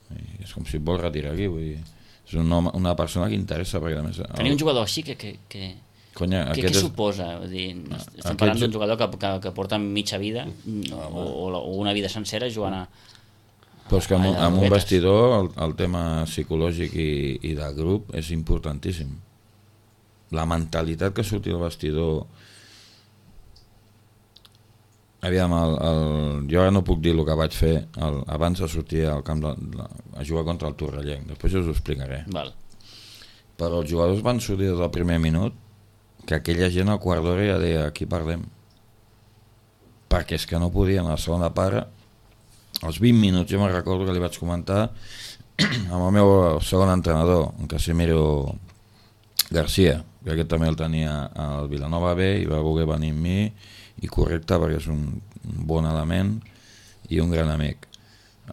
I és com si et vol retirar aquí, vull dir, és un home, una persona que interessa, perquè a més... Tenir un jugador així, que... que, que... Conya, què, què és... suposa? Vull dir, estem parlant d'un jugador que, que, que porta mitja vida o, o una vida sencera jugant a... Però és que amb, amb un vestidor el, el tema psicològic i, i del grup és importantíssim. La mentalitat que surti del vestidor... Aviam, el, el, jo ara no puc dir el que vaig fer el, abans de sortir al camp de, de, a jugar contra el Torrellenc, després us ho explicaré. Val. Però els jugadors van sortir des del primer minut que aquella gent al quart d'hora ja deia aquí parlem, perquè és que no podien a la segona part. Als vint minuts jo me'n recordo que li vaig comentar amb el meu segon entrenador, en Casimiro García, que aquest també el tenia al Vilanova B i va voler venir amb mi, i correcte perquè és un bon element i un gran amic.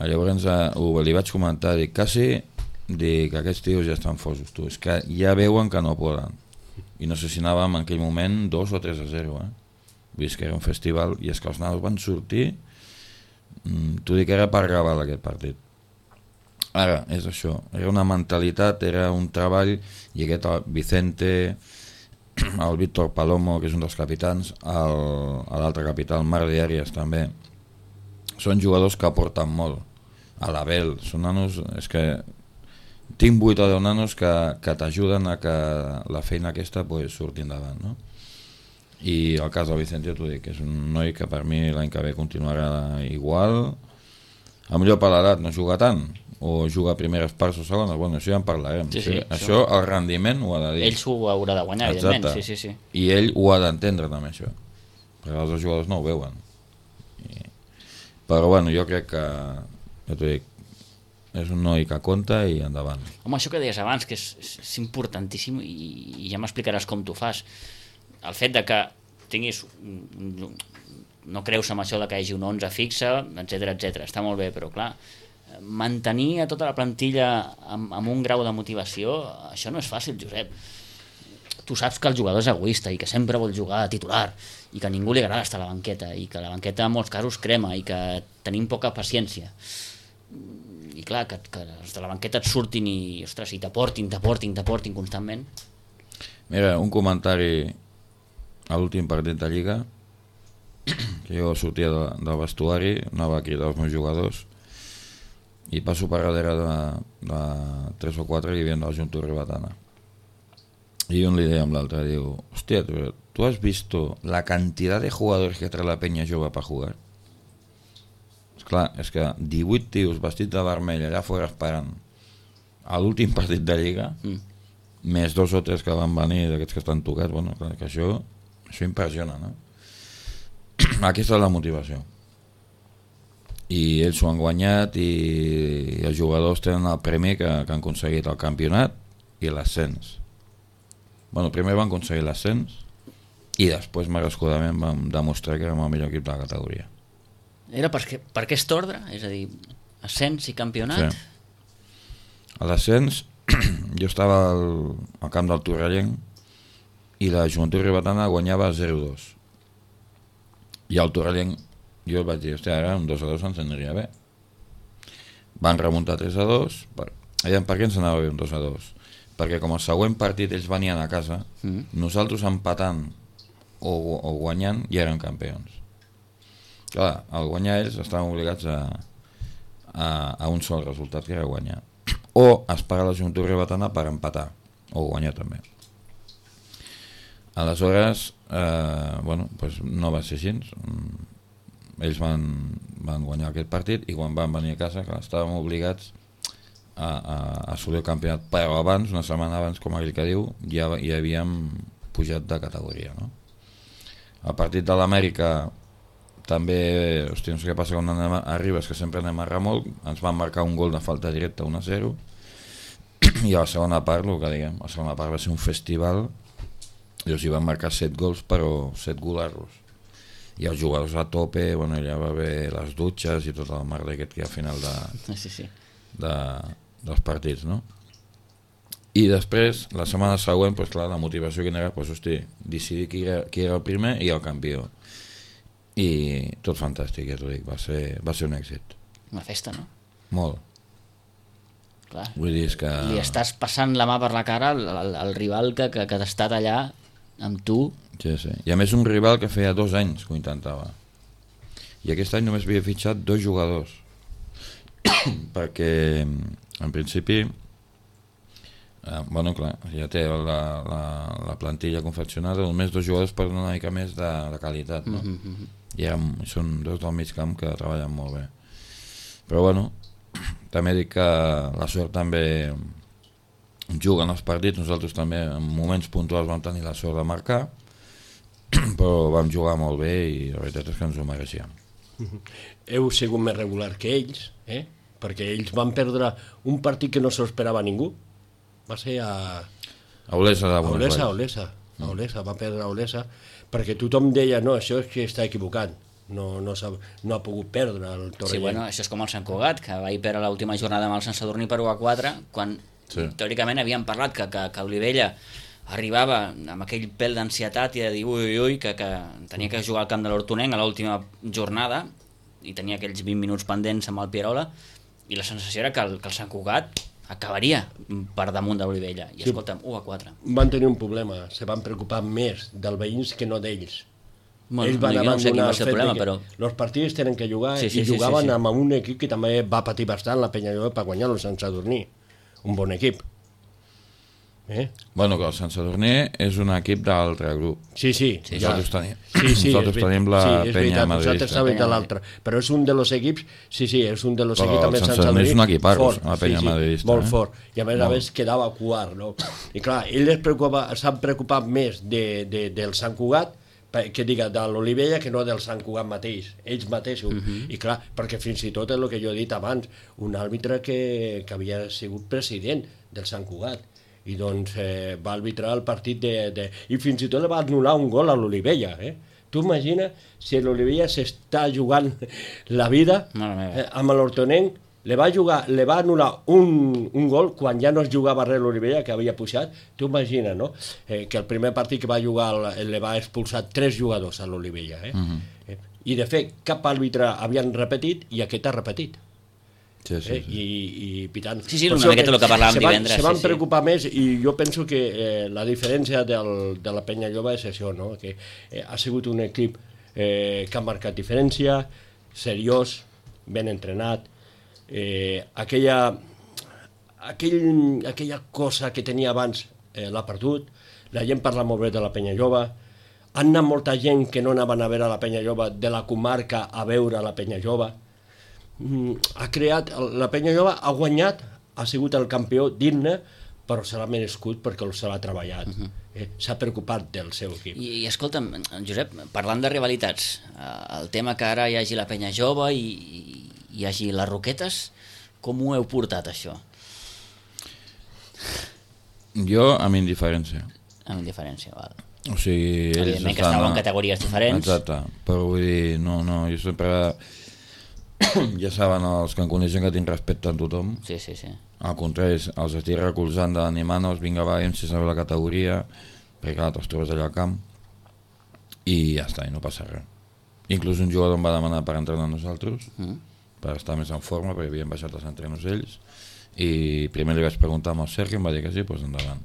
Llavors ho, li vaig comentar, dic, quasi dic que aquests tios ja estan fosos, tu, és que ja veuen que no poden, i no sé si anàvem en aquell moment dos o tres a zero, eh? Vull dir que era un festival, i és que els nanos van sortir, t'ho dic, era per gravar aquest partit. Ara, és això, era una mentalitat, era un treball, i aquest Vicente, el Víctor Palomo, que és un dels capitans, l'altre capità, el Marc de Arias també, són jugadors que aporten molt. A l'Abel, són nanos, és que tinc vuit o deu nanos que, que t'ajuden a que la feina aquesta pues, surti endavant, no? I el cas del Vicente, t'ho dic, és un noi que per mi l'any que ve continuarà igual, a millor per l'edat no juga tant, o juga a primeres parts o segones, bueno, això ja en parlarem. Sí, sí, això, això, el rendiment ho ha de dir. Ell s'ho haurà de guanyar, exacte, evidentment. Sí, sí, sí. I ell ho ha d'entendre també, això. Perquè els jugadors no ho veuen. I... Però bueno, jo crec que, ja t'ho dic, és un noi que compta i endavant. Home, això que deies abans, que és, és importantíssim, i, i ja m'explicaràs com t'ho fas. El fet de que tinguis... no creus en això de que hi hagi un onze fixe, etcètera, etcètera. Està molt bé, però clar, mantenir a tota la plantilla amb, amb un grau de motivació, això no és fàcil, Josep. Tu saps que el jugador és egoista i que sempre vol jugar a titular i que a ningú li agrada estar a la banqueta i que la banqueta en molts casos crema i que tenim poca paciència. I clar, que, que els de la banqueta et surtin i, ostres, i t'aportin, t'aportin, t'aportin constantment. Mira, un comentari a l'últim partit de Lliga, que jo sortia de, del vestuari, anava a cridar els meus jugadors, i passo per darrere de, de tres o quatre i hi havia del Junto Ribatana. Y un le amb l'altre, diu, hostia, ¿tú, ¿tú has visto la cantidad de jugadores que trae la Peña Jove para jugar? Esclar, és que divuit tios vestits de vermell allà fora esperant a l'últim partit de Lliga, mm. més dos o tres que van venir d'aquests que estan tocats, bueno, clar, que això, això impressiona, no? Aquesta és la motivació. I ells s'ho han guanyat i, i els jugadors tenen el premi que, que han aconseguit el campionat i l'ascens. Bueno, primer van aconseguir l'ascens i després merescudament vam demostrar que érem el millor equip de la categoria. Era per, per aquest ordre? És a dir, ascens i campionat? Sí. A l'ascens jo estava al, al camp del Torrellenc i la Joventut Ribatana guanyava zero dos. I el Torrellenc jo el vaig dir, hòstia, ara un dos a dos ens aniria bé. Van remuntar tres a dos, per, per què ens anava bé un dos a dos? Perquè com el següent partit ells venien a casa, mm. nosaltres empatant o, o guanyant ja eren campions. Clar, al guanyar ells estaven obligats a, a, a un sol resultat, que era guanyar. O esperar la Junta Ribetana per empatar, o guanyar també. Aleshores, eh, bueno, pues no va ser així. Ells van, van guanyar aquest partit i quan van venir a casa, clar, estàvem obligats a, a, a assolir el campionat, però abans, una setmana abans, com aquell que diu, ja, ja havíem pujat de categoria, no? El partit de l'Amèrica també, hòstia, no sé què passa quan anem a Ribes, que sempre anem a remolc, ens van marcar un gol de falta directa, un a zero, i a la segona part, el que diguem, la segona part va ser un festival, i els hi van marcar set gols, però set golarros. I els jugadors a tope, bueno, ja va haver les dutxes i tot el merda aquest que hi ha al final de, sí, sí. de, dels partits, no? I després, la setmana següent, pues, clar, la motivació que era, pues, hosti, decidir qui era, qui era el primer i el campió. I tot fantàstic, ja t'ho dic, va ser, va ser un èxit. Una festa, no? Molt. Clar. Vull dir, és que... Li estàs passant la mà per la cara al, al, al rival que, que, que ha estat allà amb tu. Sí, sí. I a més un rival que feia dos anys que ho intentava. I aquest any només havia fitxat dos jugadors. Perquè, en principi, eh, bueno, clar, ja té la, la, la plantilla confeccionada, només dos jugadors per donar una mica més de, de qualitat, no? Mm-hmm. I eren, són dos del mig camp que treballen molt bé. Però, bueno, també dic que la sort també juguen els partits, nosaltres també en moments puntuals vam tenir la sort de marcar, però vam jugar molt bé i la veritat és que ens ho mereixíem. Heu sigut més regular que ells, eh? Perquè ells van perdre un partit que no s'ho esperava ningú. Va ser a... A Olesa de Buenos Aires. A Olesa, a Olesa, va perdre a Olesa, perquè tothom deia, no, això és que està equivocant. No, no, no ha pogut perdre el Torrellano. Sí, bueno, això és com el Sant Cugat, que va perdre l'última jornada amb el Sant Sadurní per u a quatre, quan sí. teòricament havíem parlat que, que, que Olivella arribava amb aquell pèl d'ansietat i de dir ui, ui, ui, que, que tenia que jugar al camp de l'Hortonenc a l'última jornada i tenia aquells vint minuts pendents amb el Pierola, i la sensació era que el, que el Sant Cugat acabaria per damunt d'Olivella. I sí, escolta'm, u a quatre. Van tenir un problema, se van preocupar més dels veïns que no d'ells. Bueno, ells van no, abandonar no sé el, el fet problema, que però... els partits tenen que jugar sí, sí, i sí, jugaven sí, sí. amb un equip que també va patir bastant, la Penyalloba, per guanyar el Sant Sadurní. Un bon equip. Eh? Bueno, que el Sant Sadurní és un equip d'altre grup. Sí, sí. sí nosaltres ja. tenim, sí, sí, nosaltres tenim la sí, Penya madridista. Nosaltres sabem de l'altre. Però és un dels equips, sí, sí, és un dels però equips també Sant Sadurní és un equip fort, la Penya sí, sí, madridista. Molt eh? fort. I a més a més quedava quart, no? I clar, ells s'han preocupat més de, de, del Sant Cugat, que diga de l'Olivella, que no del Sant Cugat mateix, ells mateixos. Uh-huh. I clar, perquè fins i tot és el que jo he dit abans, un àrbitre que, que havia sigut president del Sant Cugat, i doncs eh, va arbitrar el partit de, de... I fins i tot li va anul·lar un gol a l'Olivella, eh? Tu imagina si l'Olivella s'està jugant la vida eh, amb l'Hortonenc, li va, jugar, li va anul·lar un, un gol quan ja no es jugava res l'Olivella, que havia pujat. Tu imagina, no? Eh, que el primer partit que va jugar li va expulsar tres jugadors a l'Olivella. Eh? Uh-huh. eh? I de fet, cap àrbitre havien repetit i aquest ha repetit. Sí, sí, sí. Eh? I, i pitant. Sí, sí, una miqueta el que parlàvem se van, divendres. Se van sí, sí. preocupar més i jo penso que eh, la diferència del, de la Penyalloba és això, no? Que eh, ha sigut un equip eh, que ha marcat diferència, seriós, ben entrenat, eh, aquella, aquell, aquella cosa que tenia abans eh, l'ha perdut, la gent parla molt bé de la Penyalloba, han anat molta gent que no anaven a veure la Penyalloba de la comarca a veure la Penyalloba, ha creat, la Penyalloba ha guanyat, ha sigut el campió digne, però se l'ha merescut perquè se l'ha treballat. Uh-huh. eh, s'ha preocupat del seu equip. I, i escolta'm, Josep, parlant de rivalitats, el tema que ara hi hagi la Penya Jove i, i hi hagi les Roquetes, com ho heu portat, això? Jo, amb indiferència. Amb indiferència, val. O sigui, ells evidentment que estàveu en categories diferents. Exacte, però vull dir, no, no, jo sempre... ja saben els que em coneixen que tinc respecte a tothom. Sí, sí, sí. Al contrari, els estic recolzant, animant-los, vinga, va, si sabeu la categoria, perquè clar, te'ls trobes allà al camp, i ja està, i no passa res. Inclús un jugador em va demanar per entrenar nosaltres, mm. per estar més en forma, perquè havien baixat els entrenos ells, i primer li vaig preguntar amb el Sergi, em va dir que sí, doncs endavant.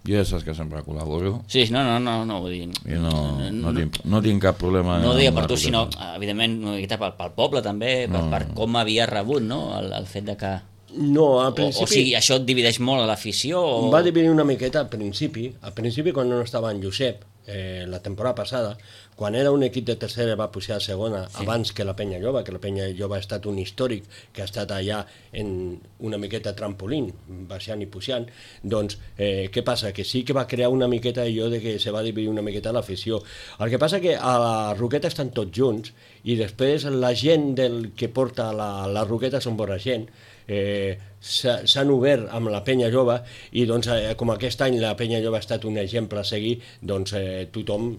Jo ja saps que sempre col·laboro. Sí, no, no, no, no vull dir... Jo no, no, no, tinc, no tinc cap problema... No ho deia per tu, sinó, evidentment, una miqueta pel, pel poble també, per, no. per com havia rebut, no?, el, el fet de que... No, al principi... O, o sigui, això et divideix molt a l'afició? O... Va dividir una miqueta al principi. Al principi, quan no estava en Josep, eh, la temporada passada, quan era un equip de tercera va pujar a segona, sí. abans que la Penya Lloba, que la Penya Lloba ha estat un històric que ha estat allà en una miqueta trampolín, baixant i pujant, doncs eh, què passa? Que sí que va crear una miqueta allò de que se va dividir una miqueta l'afició. El que passa que a la Roqueta estan tots junts i després la gent del que porta la, la Roqueta són bona gent, eh, s'han obert amb la Penya Jove i doncs eh, com aquest any la Penya Jove ha estat un exemple a seguir, doncs eh, tothom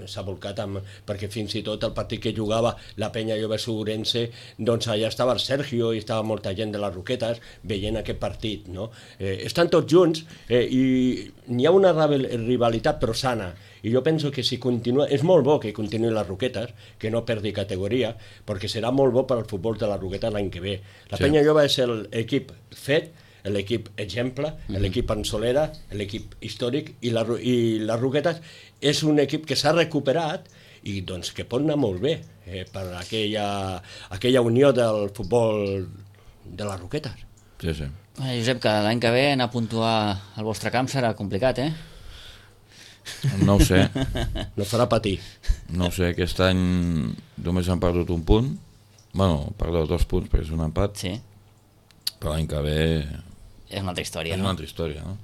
s'ha volcat amb, perquè fins i tot el partit que jugava la Penya Jove Segurense, doncs allà estava el Sergio i estava molta gent de les Roquetes veient aquest partit, no? Eh, estan tots junts eh, i n'hi ha una rivalitat però sana, i jo penso que si continua, és molt bo que continuï les Roquetes, que no perdi categoria, perquè serà molt bo per al futbol de les Roquetes l'any que ve. La sí. Penya Jove és l'equip fet, l'equip exemple, mm-hmm. l'equip en solera, l'equip històric, i, la, i les Roquetes és un equip que s'ha recuperat i doncs que pot anar molt bé eh, per aquella, aquella unió del futbol de les Roquetes. Sí, sí. Eh, Josep, que l'any que ve anar a puntuar al vostre camp serà complicat, eh? No ho sé. No farà patir. No ho sé, aquest any només han perdut un punt. Bueno, perdó, dos punts perquè és un empat. Sí. Però l'any que ve... És una altra història, és no? una altra història, no?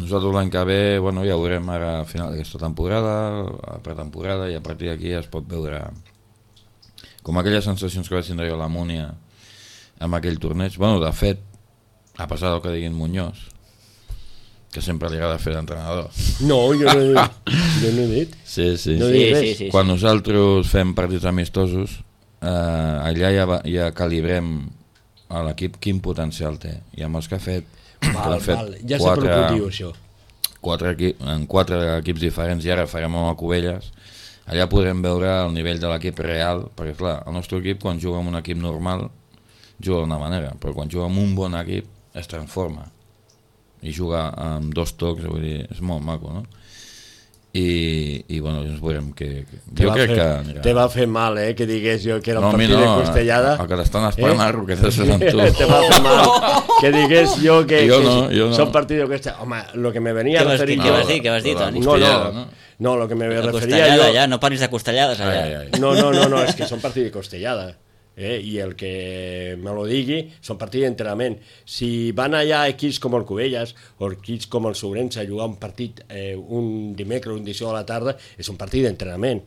Nosaltres l'any que ve, bueno, ja ho veurem ara a final d'aquesta temporada, a pretemporada, i a partir d'aquí es pot veure com aquelles sensacions que vaig tindre jo a la Múnia amb aquell torneig. Bueno, de fet, a passar del que diguin Muñoz, que sempre li agrada fer d'entrenador. No, jo no he dit. Jo no he dit. Sí, sí. No sí, sí, sí, sí. Quan nosaltres fem partits amistosos, eh, allà ja, ja calibrem a l'equip quin potencial té. I amb els que ha fet... Val, fet val. Ja sé per què ho diu, això. Quatre equip, en quatre equips diferents, i ara farem amb el Cubelles, allà podrem veure el nivell de l'equip real, perquè clar, el nostre equip quan juga amb un equip normal juga d'una manera, però quan juga amb un bon equip es transforma i juga amb dos tocs, vull dir, és molt maco, no? I, i bueno, ens veurem que... que te jo crec fer, que... Anirà. Te va fer mal, eh, que digués jo que era un no, partit no, de Costellada. El que t'estan esperant eh? a Roquetes és amb tu. Te va fer mal que digués jo que, jo que no, jo no. són partit de Costellada. Home, lo que me venia a referir... Què vas dir, què vas dir, Toni? No, no, no, lo que me referia jo... Ja, no parlis de Costellades allà. Ai, ai. No, no, no, no, és que són partit de Costellada. Eh, i el que me lo digui són partits d'entrenament. Si van allà equips com el Cubelles o equips com el Sobrense a jugar un partit eh, un dimecres o un dijous a la tarda, és un partit d'entrenament.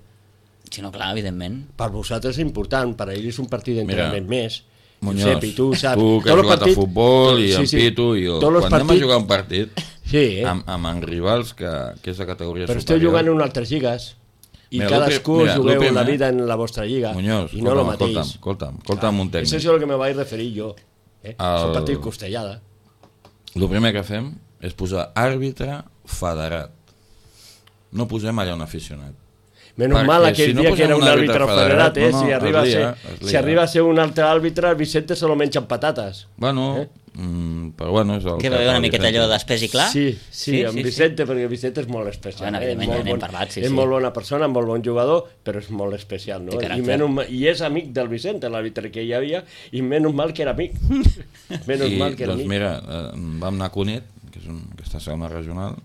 Sí, no, clar, evidentment. Per vosaltres és important, per ells és un partit d'entrenament més. Muñoz, Josep, i tu saps, tu que has jugat partit, a futbol i sí, en sí, Pitu i jo, quan partit, anem a jugar un partit sí, eh? amb, amb en rivals que, que és de categoria però superior, esteu jugant en altres lligues i mira, cadascú mira, jugueu primer, la vida en la vostra lliga. Muñoz, i no el mateix. Escolta'm, escolta'm, escolta'm un tècnic. Això és el que me vaig referir jo. Eh? El... És un partit Costellada. El primer que fem és posar àrbitre federat. No posem allà un aficionat. Menys perquè mal aquell si no dia que era un àrbitre federat, federat eh? No, no, si, arriba lia, ser, si arriba a ser un altre àrbitre, el Vicente se lo menja amb patates. Bueno, eh? mm, però bueno... És el que va haver una miqueta allò d'espès i clar? Sí, sí, sí amb sí, Vicente, sí. Perquè Vicente és molt especial. Bueno, eh? És, molt, bon, parlat, sí, és sí. molt bona persona, molt bon jugador, però és molt especial, no? I, menys, I és amic del Vicente, l'àrbitre que hi havia, i menys mal que era amic. menys I, mal que era doncs amic. mira, eh, vam anar a Cunit, que és un, aquesta segona regional,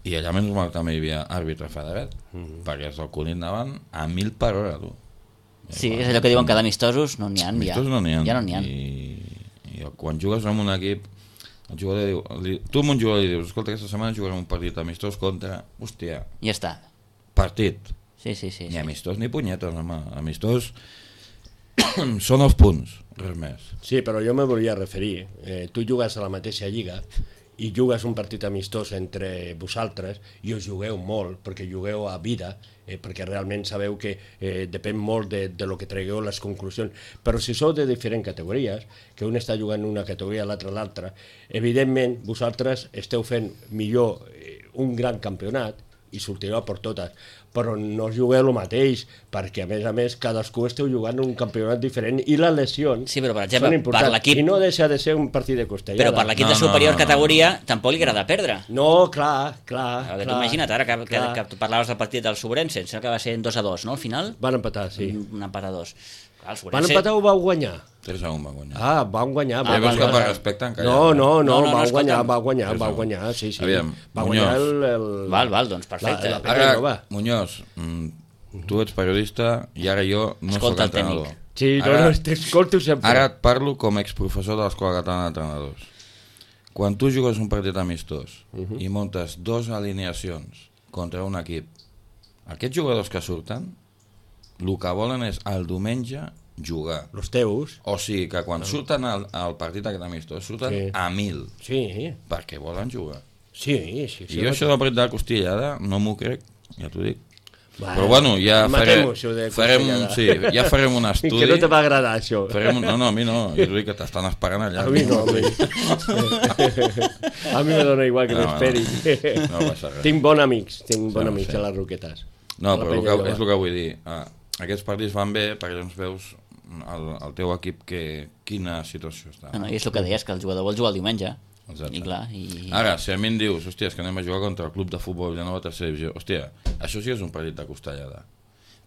i allà menys mal també hi havia àrbitre federat, mm. perquè els del Cunit anaven a mil per hora, tu. Sí, és allò que diuen que d'amistosos no n'hi ha. Amistosos no n'hi ha. Ja no n'hi ha. I, i quan jugues amb un equip, el jugador diu, li, tu amb un jugador li dius, escolta, aquesta setmana jugarem un partit amistós contra, hòstia, ja està. Partit. Sí, sí, sí. Ni sí. amistós ni punyetes, home. Amistós són els punts, res més. Sí, però jo me volia referir. Eh, tu jugues a la mateixa lliga i jugues un partit amistós entre vosaltres i us jugueu molt, perquè jugueu a vida, eh, perquè realment sabeu que eh, depèn molt de, de lo que tragueu les conclusions. Però si sou de diferents categories, que un està jugant una categoria, l'altre l'altra, evidentment vosaltres esteu fent millor eh, un gran campionat i sortirà per totes, però no es jugueu el mateix, perquè a més a més cadascú esteu jugant un campionat diferent i les lesions sí, però, per exemple, són importants, per l'equip... i no deixa de ser un partit de costellada. Però per l'equip No, de no, superior no, no, categoria no. tampoc li agrada perdre. No, clar, clar, Perquè clar. tu imagina't ara que, que, clar. que tu parlaves del partit del Sobrense, em sembla que va ser en dos a dos, no, al final? Van empatar, sí. Un empat a dos. Clar, el Van Sobrense... empatar o vau guanyar? tres a un va guanyar. Ah, van guanyar. Ah, van veus que guanyar. per respecte encara... No, no, no, No, no, no, va guanyar, escolta'm. va guanyar, Tres va a un. guanyar, sí, sí. Aviam, va guanyar Muñoz. el, el... Val, val, doncs perfecte. La, la Ara, no va. Muñoz, mm, tu ets periodista i ara jo no Escolta el soc entrenador. tècnic. Sí, no, Ara- no, t'escolto sempre. Ara et parlo com a exprofessor de l'Escola Catalana d'Entrenadors. Quan tu jugues un partit amistós uh -huh. i montes dos alineacions contra un equip, aquests jugadors que surten, el que volen és el diumenge jugar. Los teus. O sigui que quan surten al, al partit aquest amistós, surten Sí. a mil, Sí, perquè volen jugar. sí, sí. I jo això del partit de la costillada no m'ho crec, ja t'ho dic. Bueno, Però bueno, ja farem, matem-ho, això de farem, costillada. sí, ja farem un estudi. Que no te va agradar, això. Farem, un- no, no, a mi no, jo t'ho dic que t'estan esperant allà. A mi no, a mi. A mi me dona igual que No, m'esperi. no passa res. Tinc bons amics, tinc bons Sí, amics sí. a les Roquetes. No, A la però el penya que, jove. és el que vull dir. Ah, aquests partits van bé perquè llavors veus el, el teu equip que, quina situació està. No, no, I és el que deies, que el jugador vol jugar el diumenge. Exacte. I clar, i... Ara, si a mi em dius, hòstia, és que anem a jugar contra el club de futbol de nova tercera divisió, hòstia, això sí és un partit de costellada,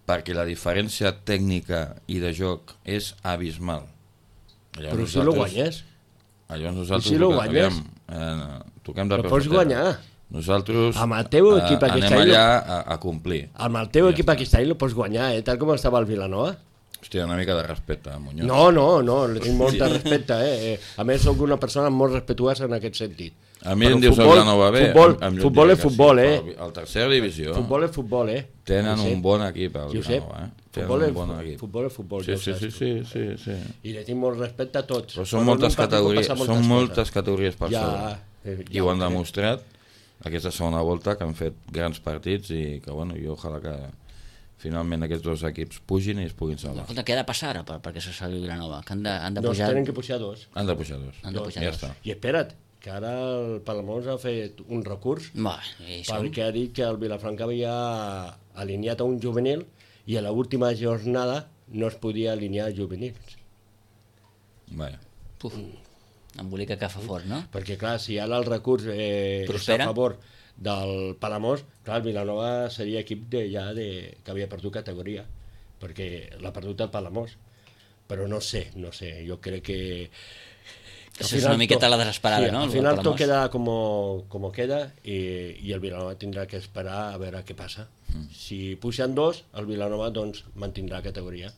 perquè la diferència tècnica i de joc és abismal. Llavors Però si lo guanyes, Llavors nosaltres... I si lo toquem- guanyes? aviam, eh, toquem de lo peus pots a terra. guanyar. Nosaltres Amb el teu eh, equip aquest anem any allà a, a complir. Amb el teu Ja equip està. aquest any lo pots guanyar, eh? Tal com estava el Vilanova. Hòstia, una mica de respecte, Muñoz. No, no, no, li tinc molt de respecte, eh? eh? A més, sóc una persona molt respectuosa en aquest sentit. A mi Però em dius el futbol- Vilanova bé. futbol- em, em futbol diria és que futbol, sí, eh? però El tercera divisió Futbol és futbol, eh? tenen Josep, un bon equip, el Josep, Vilanova, eh? Tenen futbol, un és, bon equip. futbol és futbol, Sí, ja ho sí, saps sí, tu. sí, sí, sí. I li tinc molt respecte a tots. Però són en moltes un partit pot categories, passar són coses. moltes categories per Ja, sobre. eh, I ja ho han crec. demostrat aquesta segona volta, que han fet grans partits i que, bueno, jo ojalà que finalment aquests dos equips pugin i es puguin salvar. Escolta, què ha de passar ara per, perquè se salvi Vilanova? Que han de, han de Doncs pujar... tenen que pujar dos. Han de pujar dos. Han de pujar ja dos. està. I espera't, que ara el Palamós ha fet un recurs Va, i som... perquè ha dit que el Vilafranca havia alineat a un juvenil i a l'última jornada no es podia alinear juvenils. Vaja. Puf, embolica que fa fort, no? Perquè, clar, si ara el recurs eh, és Prospera. a favor del Palamós, clar, el Vilanova seria equip de, ja de, que havia perdut categoria, perquè l'ha perdut el Palamós. Però no sé, no sé, jo crec que... que al Això és final una miqueta to- la desesperada, sí, no, Al el final Palamós. tot queda como, como queda i, i el Vilanova tindrà que esperar a veure què passa. Mm. Si pugen dos, el Vilanova doncs mantindrà categoria.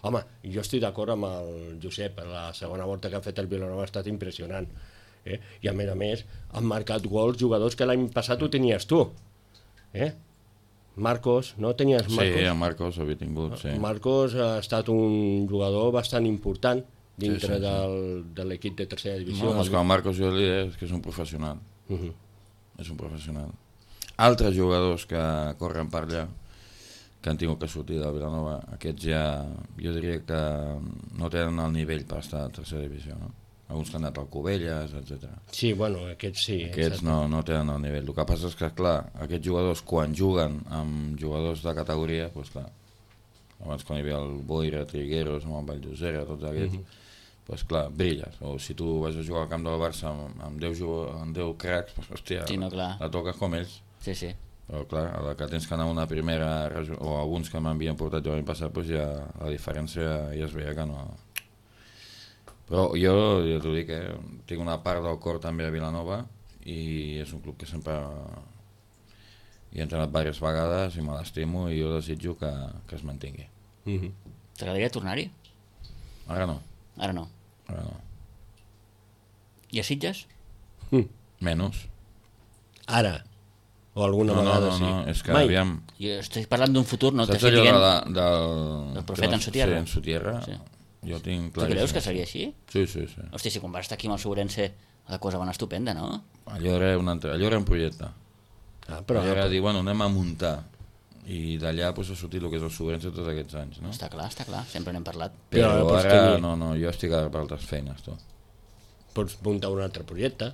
Home, jo estic d'acord amb el Josep, la segona volta que ha fet el Vilanova ha estat impressionant. Eh? I a més a més han marcat gols jugadors que l'any passat ho tenies tu. Eh? Marcos, no tenies Marcos? Sí, a Marcos havia tingut, sí. Marcos ha estat un jugador bastant important dintre Sí, sí, sí. del, de l'equip de tercera divisió. No, és que el Marcos jo li diré que és un professional. Uh -huh. És un professional. Altres jugadors que corren per allà, que han tingut que sortir de Vilanova, aquests ja, jo diria que no tenen el nivell per estar a tercera divisió, no? Alguns que han anat al Covelles, etcètera. Sí, bueno, aquests sí. Aquests no, no tenen el nivell. El que passa és que, clar, aquests jugadors, quan juguen amb jugadors de categoria, doncs clar, abans quan hi havia el Boira, Trigueros, amb el Valldosera, tots aquests, uh -huh. doncs clar, brilles. O si tu vas a jugar al camp del Barça amb, amb, deu, amb deu cracs, doncs hòstia, Sí, no, clar. la toques com ells. Sí, sí. Però clar, a la que tens que anar a una primera, regi- o alguns que m'havien portat jo l'any passat, doncs ja la diferència ja es veia que no... Però jo, ja t'ho dic, eh, tinc una part del cor també a Vilanova i és un club que sempre hi he entrenat diverses vegades i me l'estimo i jo desitjo que, que es mantingui. Uh -huh. T'agradaria tornar-hi? Ara no, Ara no. ara no. I a Sitges? Mm. Menys. Ara. O alguna No, no, vegada no, sí. no, és que Mai. aviam... Jo estic parlant d'un futur, no Saps t'estic allò dient... de, la- del... del profeta que no- en su tierra? Sí, en su tierra. Sí. Jo tinc Tu claríssim. creus que seria així? Sí, sí, sí. Hòstia, si quan vas estar aquí amb el Sobrense la cosa va anar estupenda, no? Allò era un, altre, allò era un projecte. Ah, Però però, era dir, bueno, anem a muntar i d'allà pues, ha sortit el que és el Sobrense tots aquests anys, no? Està clar, està clar, sempre n'hem parlat. Però Però, però és ara que ni- no, no, jo estic ara per altres feines, tu. pots muntar un altre projecte.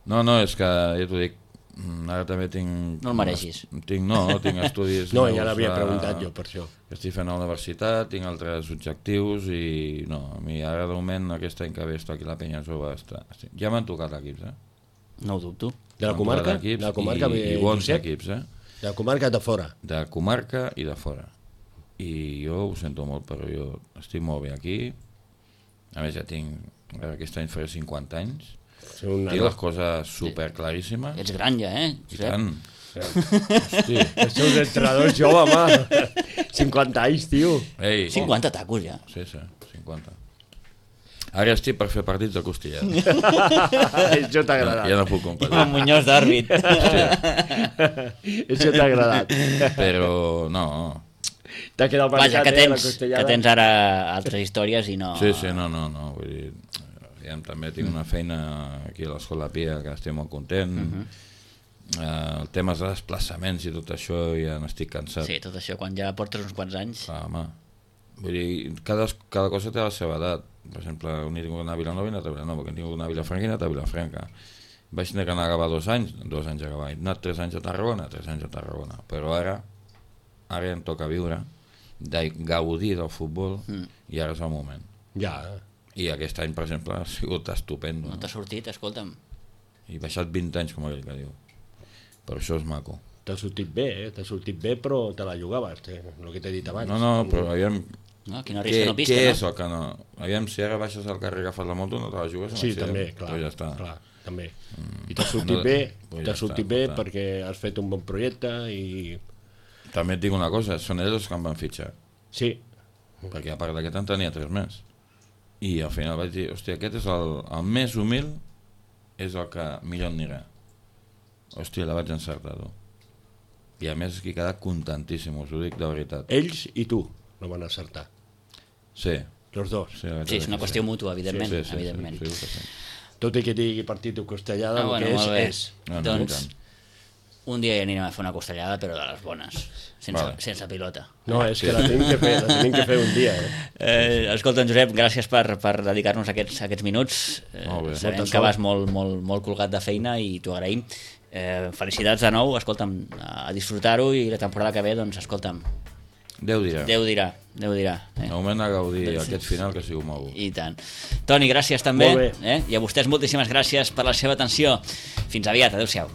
No, no, és que ja t'ho dic, Ara també tinc... No el mereixis. Tinc, no, tinc estudis... No, ja l'havia preguntat jo per això. Estic fent a la universitat, tinc altres objectius i no, a mi ara de moment aquest any que ve estic aquí a la Penya Jove. Està, ja m'han tocat equips, eh? No ho dubto. De la comarca? De la comarca i, i bons Josep? equips, eh? De la comarca de fora? De comarca i de fora. I jo ho sento molt, però jo estic molt bé aquí. A més ja tinc... Aquest any faré cinquanta anys. Sí, una tinc les coses super claríssimes. Ets gran ja, eh? I tant. Hosti, els seus entrenadors jove, home. cinquanta anys, tio. Ei, cinquanta tacos ja. Sí, sí, cinquanta. Ara estic per fer partits de costillada. Això t'ha agradat. Ja no puc competir. I amb Muñoz d'àrbit. Això t'ha agradat. Però no. T'ha quedat Vaja, marcat, que eh, la tens, costellada. que tens ara altres històries i no... Sí, sí, no, no, no. Vull dir, ja, també tinc una feina aquí a l'Escola Pia que estic molt content. Uh -huh. uh, el tema de desplaçaments i tot això ja n'estic cansat. Sí, tot això, quan ja portes uns quants anys... Ah, home. Vull dir, cada, cada cosa té la seva edat. Per exemple, un he tingut una a Vilanova i una altra a Vilanova, que he tingut una a Vilafranca i una altra a Vilafranca. Vaig tenir que anar a acabar dos anys, dos anys a acabar. He anat tres anys a Tarragona, tres anys a Tarragona. Però ara, ara em toca viure, de gaudir del futbol, mm. i ara és el moment. Ja. I aquest any, per exemple, ha sigut estupendo. No t'ha sortit, escolta'm. He baixat vint anys, com aquell que diu. Però això és maco. T'ha sortit bé, eh? T'ha sortit bé, però te la jugaves, eh? El que t'he dit abans. No, no, però aviam... No, qui no risca no pisca, què no? és el que no? Aviam, si ara baixes al carrer i agafes la moto, no te la jugues? Sí, també, clar, però ja està. clar, també. Mm. I t'ha sortit no, bé, pues t'ha ja sortit està, bé està. perquè has fet un bon projecte i... També et dic una cosa, són ells els que em van fitxar. Sí. Perquè a part d'aquest en tenia tres més. I al final vaig dir, hòstia, aquest és el, el més humil, és el que millor anirà. Hòstia, la vaig encertar, tu. I a més que he quedat contentíssim, us ho dic de veritat. Ells i tu no van acertar. Sí. Los dos. Sí, Sí, és una qüestió mútua, evidentment. Sí, sí, sí, evidentment. sí, sí, sí. Tot i que digui partit o costellada, Ah, el bueno, que molt bé. és, és. No, no, Doncs, i tant. un dia ja anirem a fer una costellada, però de les bones, sense, Vale. sense pilota. No, és que la tenim que fer, la tenim que fer un dia. Eh? Eh, escolta, Josep, gràcies per, per dedicar-nos aquests, aquests minuts. Eh, Molt bé. sabem Molta que sort. vas molt, molt, molt colgat de feina i t'ho agraïm. Eh, felicitats de nou, escolta'm, a disfrutar-ho i la temporada que ve, doncs, escolta'm, Déu dirà. Déu dirà, Déu dirà. Eh? De moment a gaudir aquest final que ha sigut molt bo. I tant. Toni, gràcies també. Molt bé. Eh? I a vostès moltíssimes gràcies per la seva atenció. Fins aviat, adeu-siau.